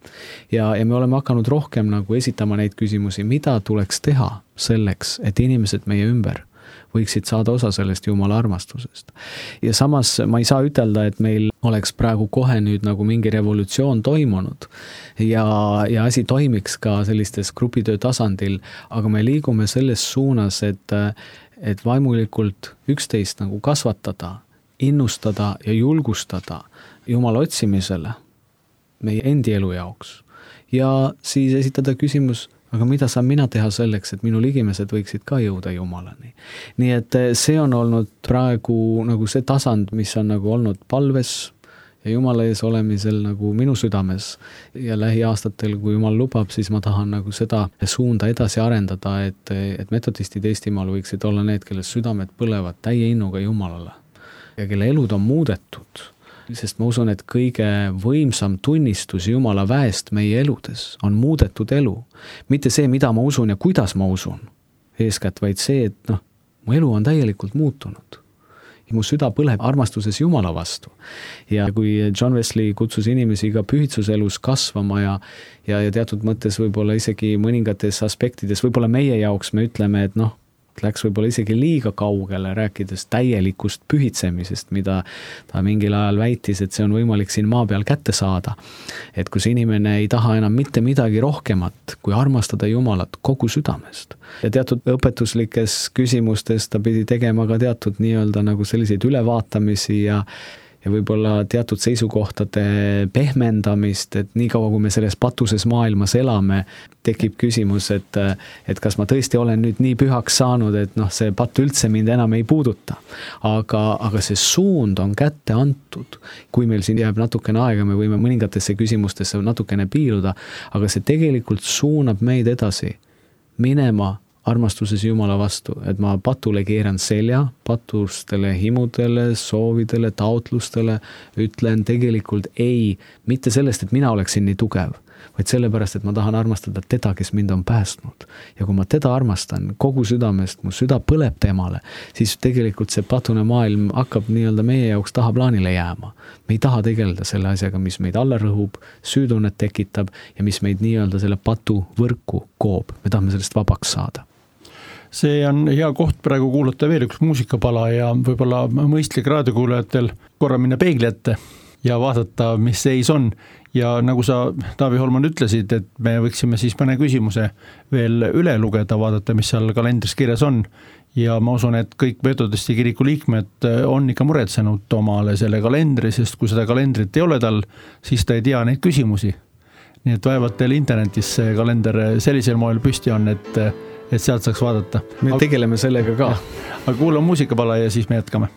Ja me oleme hakanud rohkem nagu esitama neid küsimusi, mida tuleks teha selleks, et inimesed meie ümber võiksid saada osa sellest Jumala armastusest. Ja samas ma ei saa ütelda, et meil oleks praegu kohe nüüd nagu mingi revolutsioon toimunud ja asi toimiks ka sellistes grupitöö tasandil, aga me liigume selles suunas, et vaimulikult üksteist nagu kasvatada, innustada ja julgustada Jumala otsimisele meie endi elu jaoks. Ja siis esitada küsimus, aga mida saan mina teha selleks, et minu ligimesed võiksid ka jõuda Jumalani. Nii et see on olnud praegu nagu see tasand, mis on nagu olnud palves ja Jumala ees olemisel nagu minu südames. Ja lähiaastatel, kui Jumal lubab, siis ma tahan nagu seda suunda edasi arendada, et metodistid Eestimaal võiksid olla need, kelle südamed põlevad täie innuga Jumalale ja kelle elud on muudetud. Sest ma usun, et kõige võimsam tunnistus Jumala väest meie eludes on muudetud elu. Mitte see, mida ma usun ja kuidas ma usun eeskätt, vaid see, et mu elu on täielikult muutunud. Ja mu süda põleb armastuses Jumala vastu. Ja kui John Wesley kutsus inimesi ka pühitsuselus kasvama ja teatud mõttes võib-olla isegi mõningates aspektides, võib-olla meie jaoks me ütleme, et läks võib-olla isegi liiga kaugele, rääkides täielikust pühitsemisest, mida ta mingil ajal väitis, et see on võimalik siin maa peal kätte saada. Et kus inimene ei taha enam mitte midagi rohkemat, kui armastada Jumalat kogu südamest. Ja teatud õpetuslikes küsimustes ta pidi tegema ka teatud nii-öelda nagu selliseid ülevaatamisi ja võib-olla teatud seisukohtade pehmendamist, et nii kaua, kui me selles patuses maailmas elame, tekib küsimus, et kas ma tõesti olen nüüd nii pühaks saanud, et see patt üldse mind enam ei puuduta. Aga see suund on kätte antud. Kui meil siin jääb natukene aega, me võime mõningatesse küsimustesse natukene piiluda, aga see tegelikult suunab meid edasi minema armastuses Jumala vastu, et ma patule keeran selja, patustele himudele, soovidele, taotlustele, ütlen tegelikult ei, mitte sellest, et mina oleksin nii tugev, vaid sellepärast, et ma tahan armastada teda, kes mind on päästnud. Ja kui ma teda armastan kogu südamest, mu süda põleb temale, siis tegelikult see patune maailm hakkab nii-öelda meie jaoks tahaplaanile jääma. Me ei taha tegeleda selle asjaga, mis meid alla rõhub, süütunnet tekitab ja mis meid nii-öelda selle patu võrku koob. Me tahame sellest vabaks saada.
See on hea koht praegu kuulata veel üks muusikapala ja võib-olla mõistlik raadiokuulajatel korra minna peegli ette ja vaadata, mis seis on. Ja nagu sa, Taavi Holman, ütlesid, et me võiksime siis mõne küsimuse veel üle lugeda, vaadata, mis seal kalendris kirjas on. Ja ma usun, et kõik Metodisti kiriku liikmed on ikka muretsenud omale selle kalendri, sest kui seda kalendrit ei ole tal, siis ta ei tea neid küsimusi. Nii et vaevalt teil internetis see kalender sellisel moel püsti on, et sealt saaks vaadata.
Me tegeleme sellega ka.
Aga kuulame muusikapala ja siis me jätkame.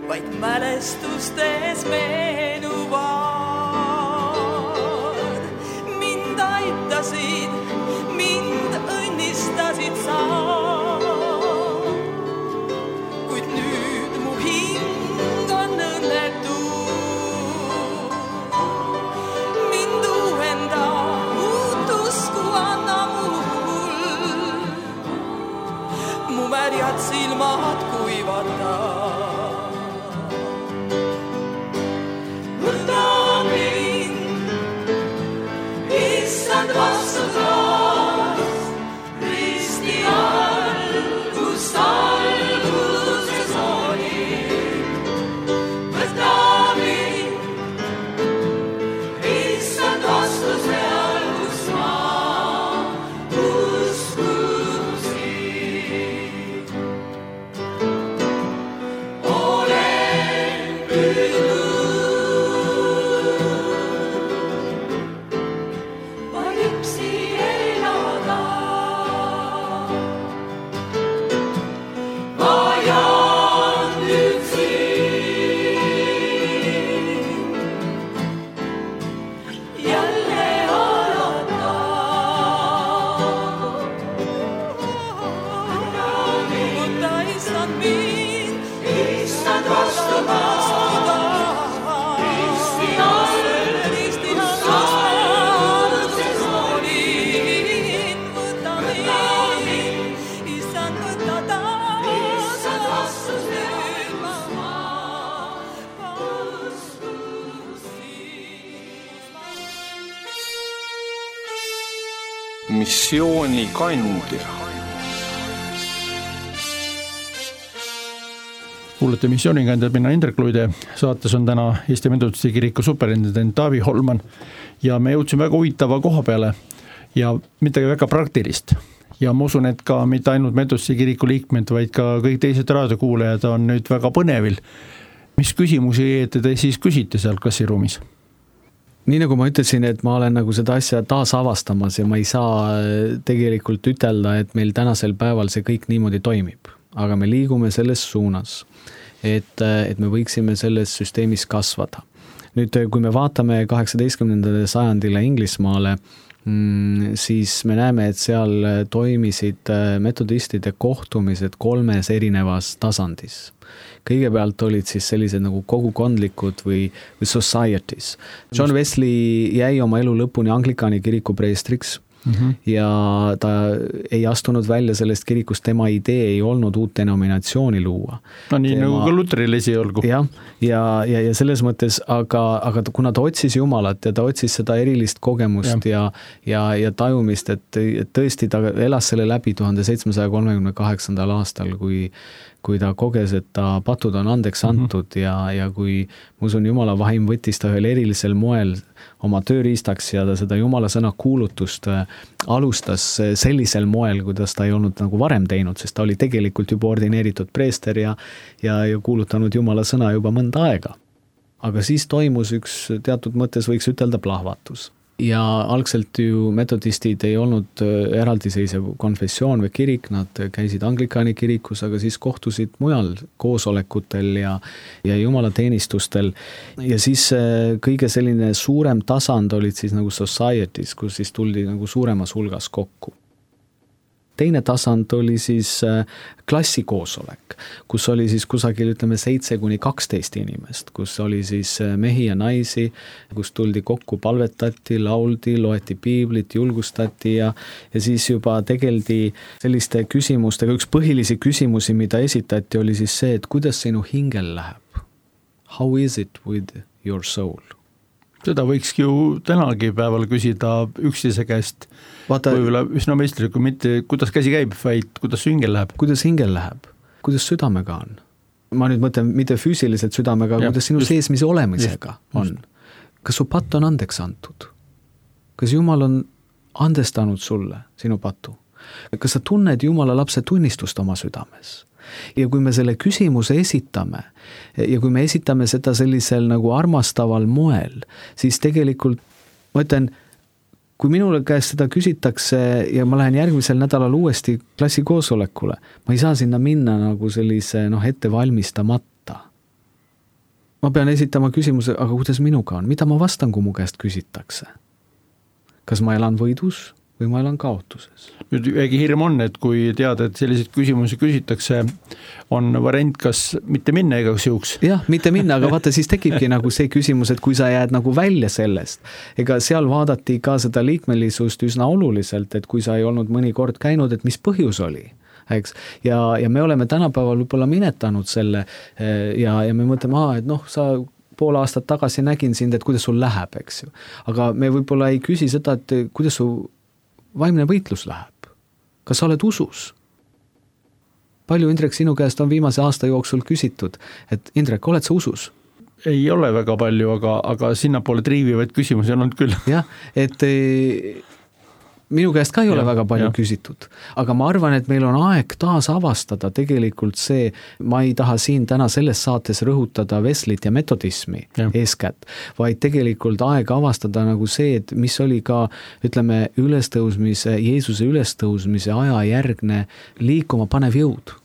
Vaid mälestustes meenuvad, mind aitasid, mind õnnistasid sa. Kuid nüüd mu hing on õnnetu, mind uuenda, uut usku anna mul, mu märjad silmad kuivata.
Missioonikandja.
Kuulete Missioonikandjad, mina Indrek Luide. Saates on täna Eesti Metodisti kiriku superintendent Taavi Holman ja me jõudsime väga huvitava koha peale ja midagi väga praktilist. Ja ma usun, et ka mitte ainult Metodisti kiriku liikmed, vaid ka kõik teised raadiokuulajad on nüüd väga põnevil. Mis küsimusi te siis küsite seal klassiruumis?
Nii nagu ma ütlesin, et ma olen nagu seda asja taas avastamas ja ma ei saa tegelikult ütelda, et meil tänasel päeval see kõik niimoodi toimib. Aga me liigume selles suunas, et me võiksime selles süsteemis kasvada. Nüüd, kui me vaatame 18. sajandile Inglismaale, siis me näeme, et seal toimisid metodistide kohtumised 3 erinevas tasandis. Kõigepealt olid siis sellised nagu kogukondlikud või societies. John Wesley jäi oma elu lõpuni Anglikani kiriku preestriks ja ta ei astunud välja sellest kirikust, tema idee ei olnud uut denominatsiooni luua.
No nii nagu ka Luteril esiolgu.
Ja selles mõttes, aga kuna ta otsis Jumalat ja ta otsis seda erilist kogemust ja tajumist, et tõesti ta elas selle läbi 1738. aastal, kui ta koges, et ta patud on andeks antud ja kui ma usun, Jumala vaim võttis ta ühel erilisel moel oma tööriistaks ja ta seda Jumala sõna kuulutust alustas sellisel moel, kuidas ta ei olnud nagu varem teinud, sest ta oli tegelikult juba ordineeritud preester ja kuulutanud Jumala sõna juba mõnda aega. Aga siis toimus üks teatud mõttes võiks ütelda plahvatus. Ja algselt ju metodistid ei olnud eraldiseisev konfessioon või kirik, nad käisid Anglikaani kirikus, aga siis kohtusid mujal koosolekutel ja jumalateenistustel. Ja siis kõige selline suurem tasand olid siis nagu societies, kus siis tuldi nagu suuremas hulgas kokku. Teine tasand oli siis klassikoosolek, kus oli siis kusagil 7-12 inimest, kus oli siis mehi ja naisi, kus tuldi kokku, palvetati, lauldi, loeti piiblit, julgustati ja siis juba tegeldi selliste küsimustega. Üks põhilisi küsimusi, mida esitati, oli siis see, et kuidas sinu hingel läheb? How is it with your soul?
Seda võikski ju tänagi päeval küsida üksteise käest. Võibolla üsna meistrilikku, mitte kuidas käsi käib, vaid kuidas su hingel läheb.
Kuidas hingel läheb? Kuidas südamega on? Ma nüüd mõtlen mitte füüsiliselt südamega, kuidas sinu seesmise olemisega on. Kas su patt on andeks antud? Kas Jumal on andestanud sulle sinu patu? Kas sa tunned Jumala lapse tunnistust oma südames? Ja kui me selle küsimuse esitame ja kui me esitame seda sellisel nagu armastaval moel, siis tegelikult ma ütlen, kui minule käest seda küsitakse ja ma lähen järgmisel nädalal uuesti klassikoosolekule, ma ei saa sinna minna nagu sellise ette valmistamata. Ma pean esitama küsimuse, aga kuidas minuga on? Mida ma vastan, kui mu käest küsitakse? Kas ma elan võidus või ma elan kaotuses?
Nüüd väike hirm on, et kui teada, et selliseid küsimusi küsitakse, on variant kas mitte minna ega siuks.
Jah, mitte minna, aga vaata, siis tekibki nagu see küsimus, et kui sa jääd nagu välja sellest, ega seal vaadati ka seda liikmelisust üsna oluliselt, et kui sa ei olnud mõni kord käinud, et mis põhjus oli. Eks? Ja me oleme tänapäeval võib-olla minetanud selle ja me mõtleme, et sa pool aastat tagasi nägin sind, et kuidas sul läheb, eks ju. Aga me võib-olla ei küsi seda, et kuidas su vaimne võitlus läheb. Kas sa oled usus? Palju, Indrek, sinu käest on viimase aasta jooksul küsitud, et Indrek, oled sa usus?
Ei ole väga palju, aga sinnapoole triivivaid küsimusi on olnud küll.
Jah, et minu käest ka ei ole väga palju küsitud, aga ma arvan, et meil on aeg taas avastada tegelikult see, ma ei taha siin täna selles saates rõhutada Wesleyd ja metodismi eeskätt, vaid tegelikult aeg avastada nagu see, et mis oli ka, ütleme, Jeesuse ülestõusmise aja järgne liikuma panev jõud.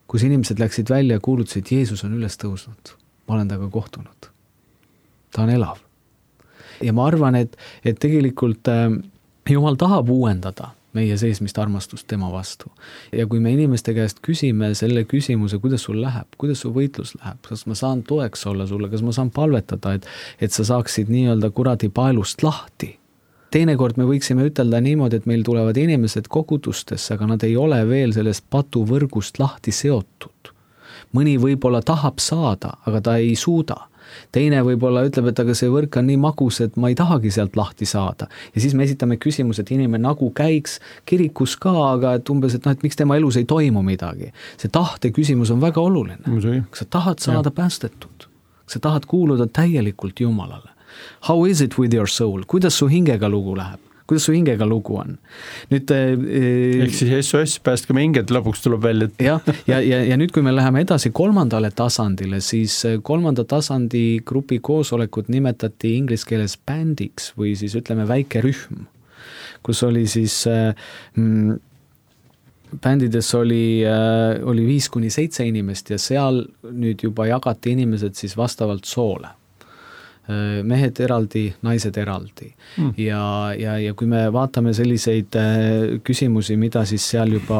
Kus inimesed läksid välja ja kuulutasid, et Jeesus on ülestõusnud, ma olen temaga kohtunud. Ta on elav. Ja ma arvan, et tegelikult Jumal tahab uuendada meie seesmist armastust tema vastu. Ja kui me inimeste käest küsime selle küsimuse, kuidas sul läheb, kuidas su võitlus läheb, kas ma saan toeks olla sulle, kas ma saan palvetada, et sa saaksid nii-öelda kuradi paelust lahti. Teinekord me võiksime ütelda niimoodi, et meil tulevad inimesed kogudustesse, aga nad ei ole veel sellest patuvõrgust lahti seotud. Mõni võib-olla tahab saada, aga ta ei suuda. Teine võib-olla ütleb, et aga see võrk on nii magus, et ma ei tahagi sealt lahti saada. Ja siis me esitame küsimus, et inimene nagu käiks kirikus ka, aga et umbes, et miks tema elus ei toimu midagi. See tahte küsimus on väga oluline. Kas sa tahad saada päästetud? Kas sa tahad kuuluda täielikult Jumalale? How is it with your soul? Kuidas su hingega lugu läheb? Kuidas su hingega lugu on? Nüüd,
ehk siis SOS päästke me hinged lõpuks tuleb välja.
Ja nüüd, kui me läheme edasi kolmandale tasandile, siis kolmanda tasandi grupi koosolekut nimetati inglise keeles bändiks või siis ütleme väike rühm, kus oli siis bändides oli 5-7 inimest ja seal nüüd juba jagati inimesed siis vastavalt soole. mehed eraldi, naised eraldi. Ja kui me vaatame selliseid küsimusi, mida siis seal juba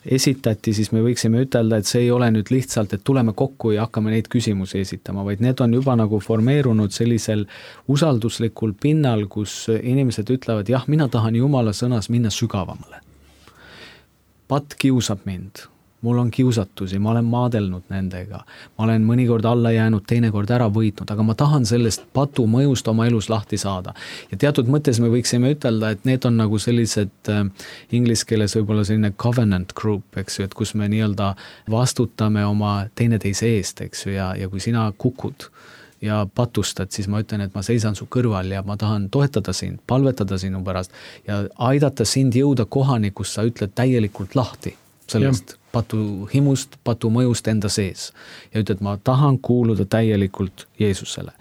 esitati, siis me võiksime ütelda, et see ei ole nüüd lihtsalt, et tuleme kokku ja hakkame neid küsimusi esitama, vaid need on juba nagu formeerunud sellisel usalduslikul pinnal, kus inimesed ütlevad, jah, mina tahan Jumala sõnas minna sügavamale. Patt kiusab mind. Mul on kiusatusi, ma olen maadelnud nendega, ma olen mõnikord alla jäänud, teinekord ära võitnud, aga ma tahan sellest patu mõjust oma elus lahti saada. Ja teatud mõttes me võiksime ütelda, et need on nagu sellised inglise keeles võib-olla selline covenant group, eks ju, et kus me nii-öelda vastutame oma teineteise eest, eks ju, ja kui sina kukud ja patustad, siis ma ütlen, et ma seisan su kõrval ja ma tahan toetada sind, palvetada sinu pärast ja aidata sind jõuda kohani, kus sa ütled täielikult lahti sellest patu himust, patu mõjust enda sees. Ja ütled, ma tahan kuuluda täielikult Jeesusele.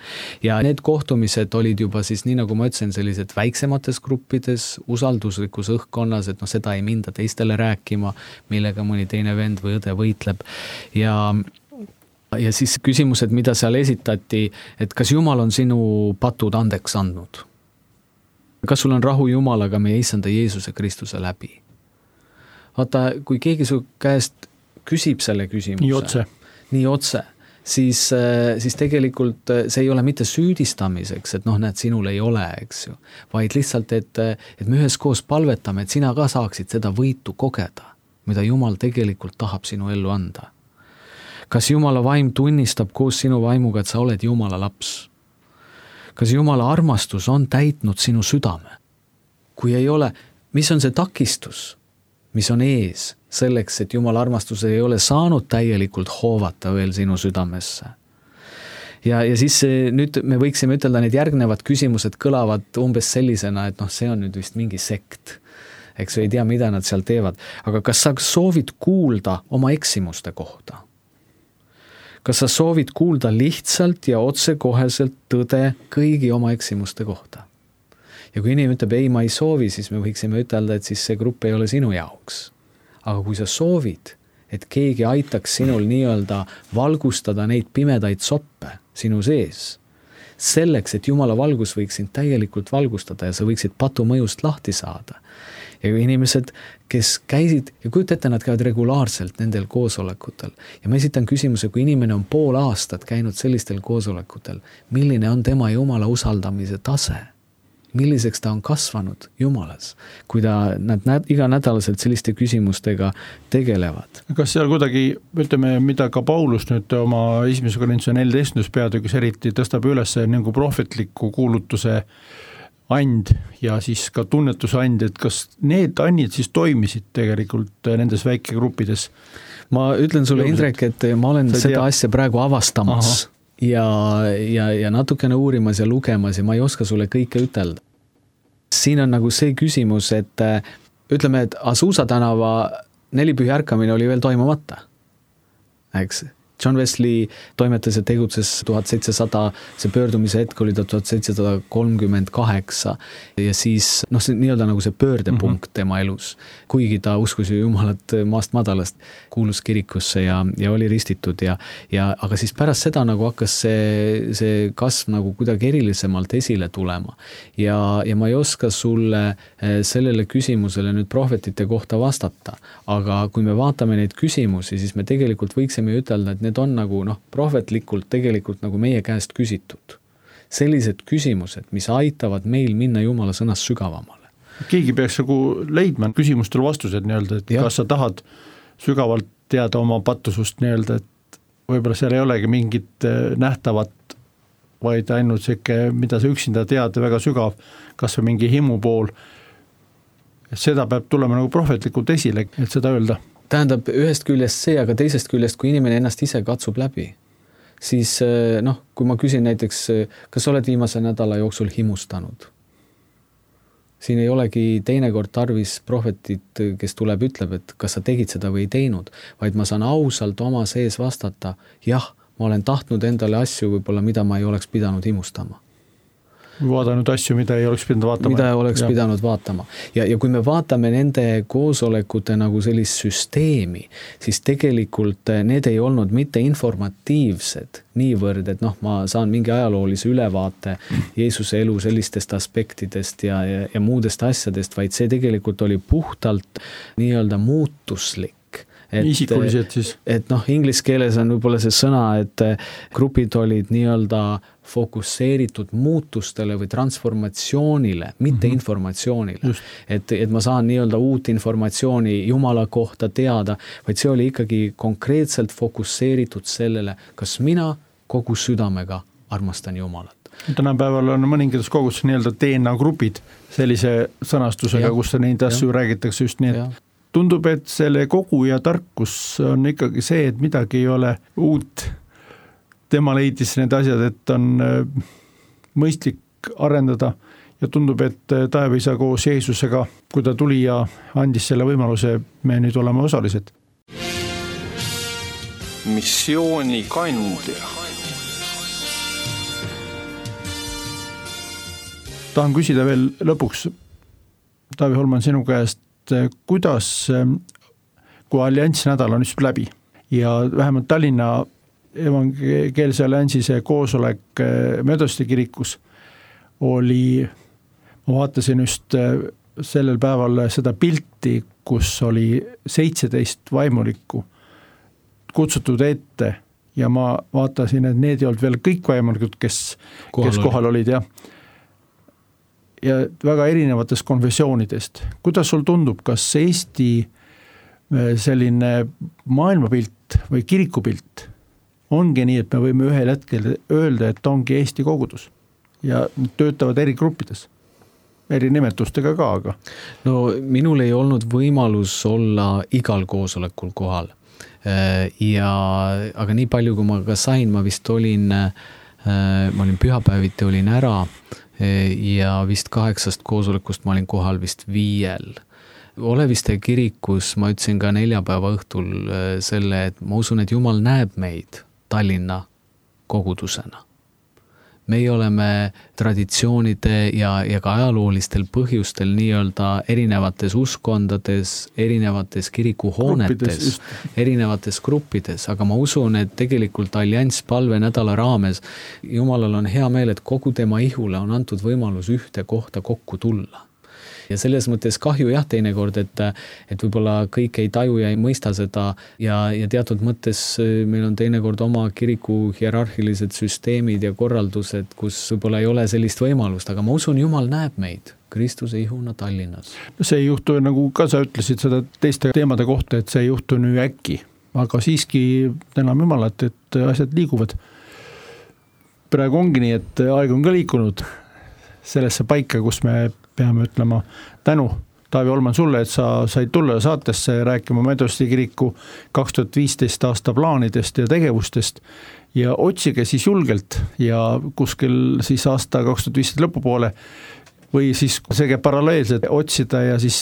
Ja need kohtumised olid juba siis, nii nagu ma ütlesin, sellised väiksemates gruppides, usalduslikus õhkkonnas, et seda ei minda teistele rääkima, millega mõni teine vend või õde võitleb. Ja siis küsimused, mida seal esitati, et kas Jumal on sinu patud andeks andnud? Kas sul on rahu Jumalaga meie Issanda Jeesuse Kristuse läbi? Vaata, kui keegi su käest küsib selle küsimuse, nii otse, siis tegelikult see ei ole mitte süüdistamiseks, et näed, sinul ei ole, eks ju, vaid lihtsalt, et me üheskoos palvetame, et sina ka saaksid seda võitu kogeda, mida Jumal tegelikult tahab sinu ellu anda. Kas Jumala vaim tunnistab koos sinu vaimuga, et sa oled Jumala laps? Kas Jumala armastus on täitnud sinu südame? Kui ei ole, mis on see takistus? Mis on ees selleks, et Jumala armastus ei ole saanud täielikult hoovata veel sinu südamesse. Ja siis nüüd me võiksime ütelda, need järgnevad küsimused kõlavad umbes sellisena, et see on nüüd vist mingi sekt. Eks ei tea, mida nad seal teevad. Aga kas sa soovid kuulda oma eksimuste kohta? Kas sa soovid kuulda lihtsalt ja otsekoheselt tõde kõigi oma eksimuste kohta? Ja kui inimene ütleb, ei, ma ei soovi, siis me võiksime ütelda, et siis see grupp ei ole sinu jaoks. Aga kui sa soovid, et keegi aitaks sinul nii-öelda valgustada neid pimedaid soppe sinu sees, selleks, et Jumala valgus võiks sind täielikult valgustada ja sa võiksid patu mõjust lahti saada. Ja inimesed, kes käisid, ja kujuta ette, nad käivad regulaarselt nendel koosolekutel. Ja ma esitan küsimuse, kui inimene on pool aastat käinud sellistel koosolekutel, milline on tema Jumala usaldamise tase? Milliseks ta on kasvanud Jumalas, kui nad iga nädalaselt selliste küsimustega tegelevad.
Kas seal kuidagi, ütleme, mida ka Paulus nüüd oma 1. Korintuse 14. peatükis eriti tõstab üles nagu prohvetliku kuulutuse and ja siis ka tunnetuse and, et kas need annid siis toimisid tegelikult nendes väikegruppides?
Ma ütlen sulle, Indrek, et ma olen seda asja praegu avastamas. Aha. Ja natukene uurimas ja lugemas ja ma ei oska sulle kõike ütelda. Siin on nagu see küsimus, et ütleme, et Azusa tänava nelipühi ärkamine oli veel toimumata. Eks? John Wesley toimetas ja tegutses 1700, see pöördumise hetk oli 1738 ja siis see nii-öelda nagu see pöördepunkt tema elus. Kuigi ta uskus ju Jumalat maast madalast, kuulus kirikusse ja oli ristitud aga siis pärast seda nagu hakkas see kasv nagu kuidagi erilisemalt esile tulema. Ja ma ei oska sulle sellele küsimusele nüüd prohvetite kohta vastata, aga kui me vaatame neid küsimusi, siis me tegelikult võiksime ütelda, et need on nagu prohvetlikult tegelikult nagu meie käest küsitud. Sellised küsimused, mis aitavad meil minna Jumala sõnas sügavamale.
Keegi peaks nagu leidma küsimustel vastused nii-öelda, et kas sa tahad sügavalt teada oma patusust nii-öelda, et võib-olla seal ei olegi mingit nähtavat, vaid ainult siuke, mida sa üksinda tead väga sügav, kas või mingi himu pool. Seda peab tulema nagu prohvetlikult esile, et seda öelda.
Tähendab ühest küljest see, aga teisest küljest, kui inimene ennast ise katsub läbi, siis kui ma küsin näiteks, kas oled viimase nädala jooksul himustanud? Siin ei olegi teinekord tarvis prohvetit, kes tuleb, ütleb, et kas sa tegid seda või ei teinud, vaid ma saan ausalt oma sees vastata, jah, ma olen tahtnud endale asju võib-olla, mida ma ei oleks pidanud himustama.
vaadanud asju, mida ei oleks pidanud vaatama.
Mida oleks pidanud vaatama. Ja kui me vaatame nende koosolekute nagu sellist süsteemi, siis tegelikult need ei olnud mitte informatiivsed niivõrd, et ma saan mingi ajaloolise ülevaate Jeesuse elu sellistest aspektidest ja muudest asjadest, vaid see tegelikult oli puhtalt nii-öelda muutuslik.
Isikuliselt siis.
Et inglise keeles on võib-olla see sõna, et grupid olid nii-öelda fokusseeritud muutustele või transformatsioonile, mitte informatsioonile. Et ma saan nii-öelda uut informatsiooni Jumala kohta teada, vaid see oli ikkagi konkreetselt fokusseeritud sellele, kas mina kogu südamega armastan Jumalat.
Tänapäeval on mõningates kogus nii-öelda DNA grupid sellise sõnastusega, kus neid asju räägitakse just nii, et tundub, et selle kogu ja tarkus on ikkagi see, et midagi ei ole uut. Tema leidis need asjad, et on mõistlik arendada ja tundub, et Taevaisa koos Jeesusega, kui ta tuli ja andis selle võimaluse, me nüüd oleme osalised.
Missiooni kandja.
Tahan küsida veel lõpuks, Taavi Holman, sinu käest, kuidas, kui alliansi nädal on just läbi ja vähemalt Tallinna evangeelse alliansi see koosolek Medosti kirikus oli, ma vaatasin just sellel päeval seda pilti, kus oli 17 vaimulikku kutsutud ette ja ma vaatasin, et need ei olnud veel kõik vaimulikud, kes kohal olid ja väga erinevatest konfessioonidest. Kuidas sul tundub, kas Eesti selline maailmapilt või kirikupilt ongi nii, et me võime ühel hetkel öelda, et ongi Eesti kogudus ja töötavad eri gruppides, eri nimetustega ka, aga?
No minul ei olnud võimalus olla igal koosolekul kohal. Aga nii palju, kui ma ka sain, ma vist olin pühapäeviti olin ära ja vist 8 koosolekust ma olin kohal vist 5. Oleviste kirikus ma ütlesin ka neljapäeva õhtul selle, et ma usun, et Jumal näeb meid Tallinna kogudusena. Meie oleme traditsioonide ja ka ajaloolistel põhjustel nii-öelda erinevates uskondades, erinevates kirikuhoonetes, erinevates gruppides, aga ma usun, et tegelikult allianss palve nädala raames Jumalal on hea meel, et kogu tema ihule on antud võimalus ühte kohta kokku tulla. Ja selles mõttes kahju teinekord, et võib-olla kõik ei taju ja ei mõista seda ja teatud mõttes meil on teinekord oma kiriku hierarhilised süsteemid ja korraldused, kus võib-olla ei ole sellist võimalust, aga ma usun, Jumal näeb meid Kristuse ihuna Tallinnas.
See ei juhtu, nagu ka sa ütlesid seda teiste teemade kohta, et see ei juhtu nüüd äkki, aga siiski täname Jumalat, et asjad liiguvad. Praegu ongi nii, et aeg on ka liikunud sellesse paika, kus me peame ütlema tänu, Taavi Holman, sulle, et sa said tulla saatesse rääkima Medosti kiriku 2015 aasta plaanidest ja tegevustest ja otsige siis julgelt ja kuskil siis aasta 2015 lõpupoole või siis see käib paralleelselt otsida ja siis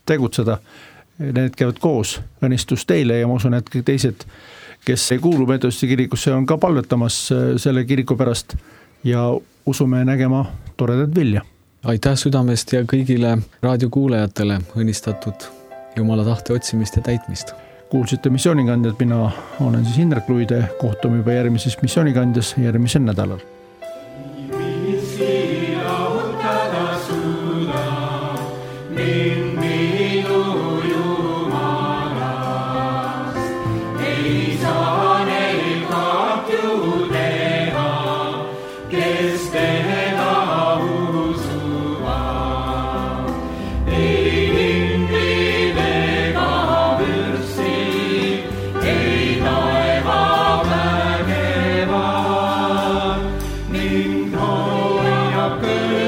tegutseda. Need käivad koos, õnnistus teile ja ma usun, et teised, kes ei kuulu Medosti kirikusse, on ka palvetamas selle kiriku pärast ja usume nägema toredat vilja.
Aitäh südamest ja kõigile raadiokuulajatele õnnistatud Jumala tahte otsimist ja täitmist.
Kuulsite missioonikandjad, mina olen siis Indrek Luide, kohtume juba järgmises missioonikandjas järgmisel nädalal.
Good.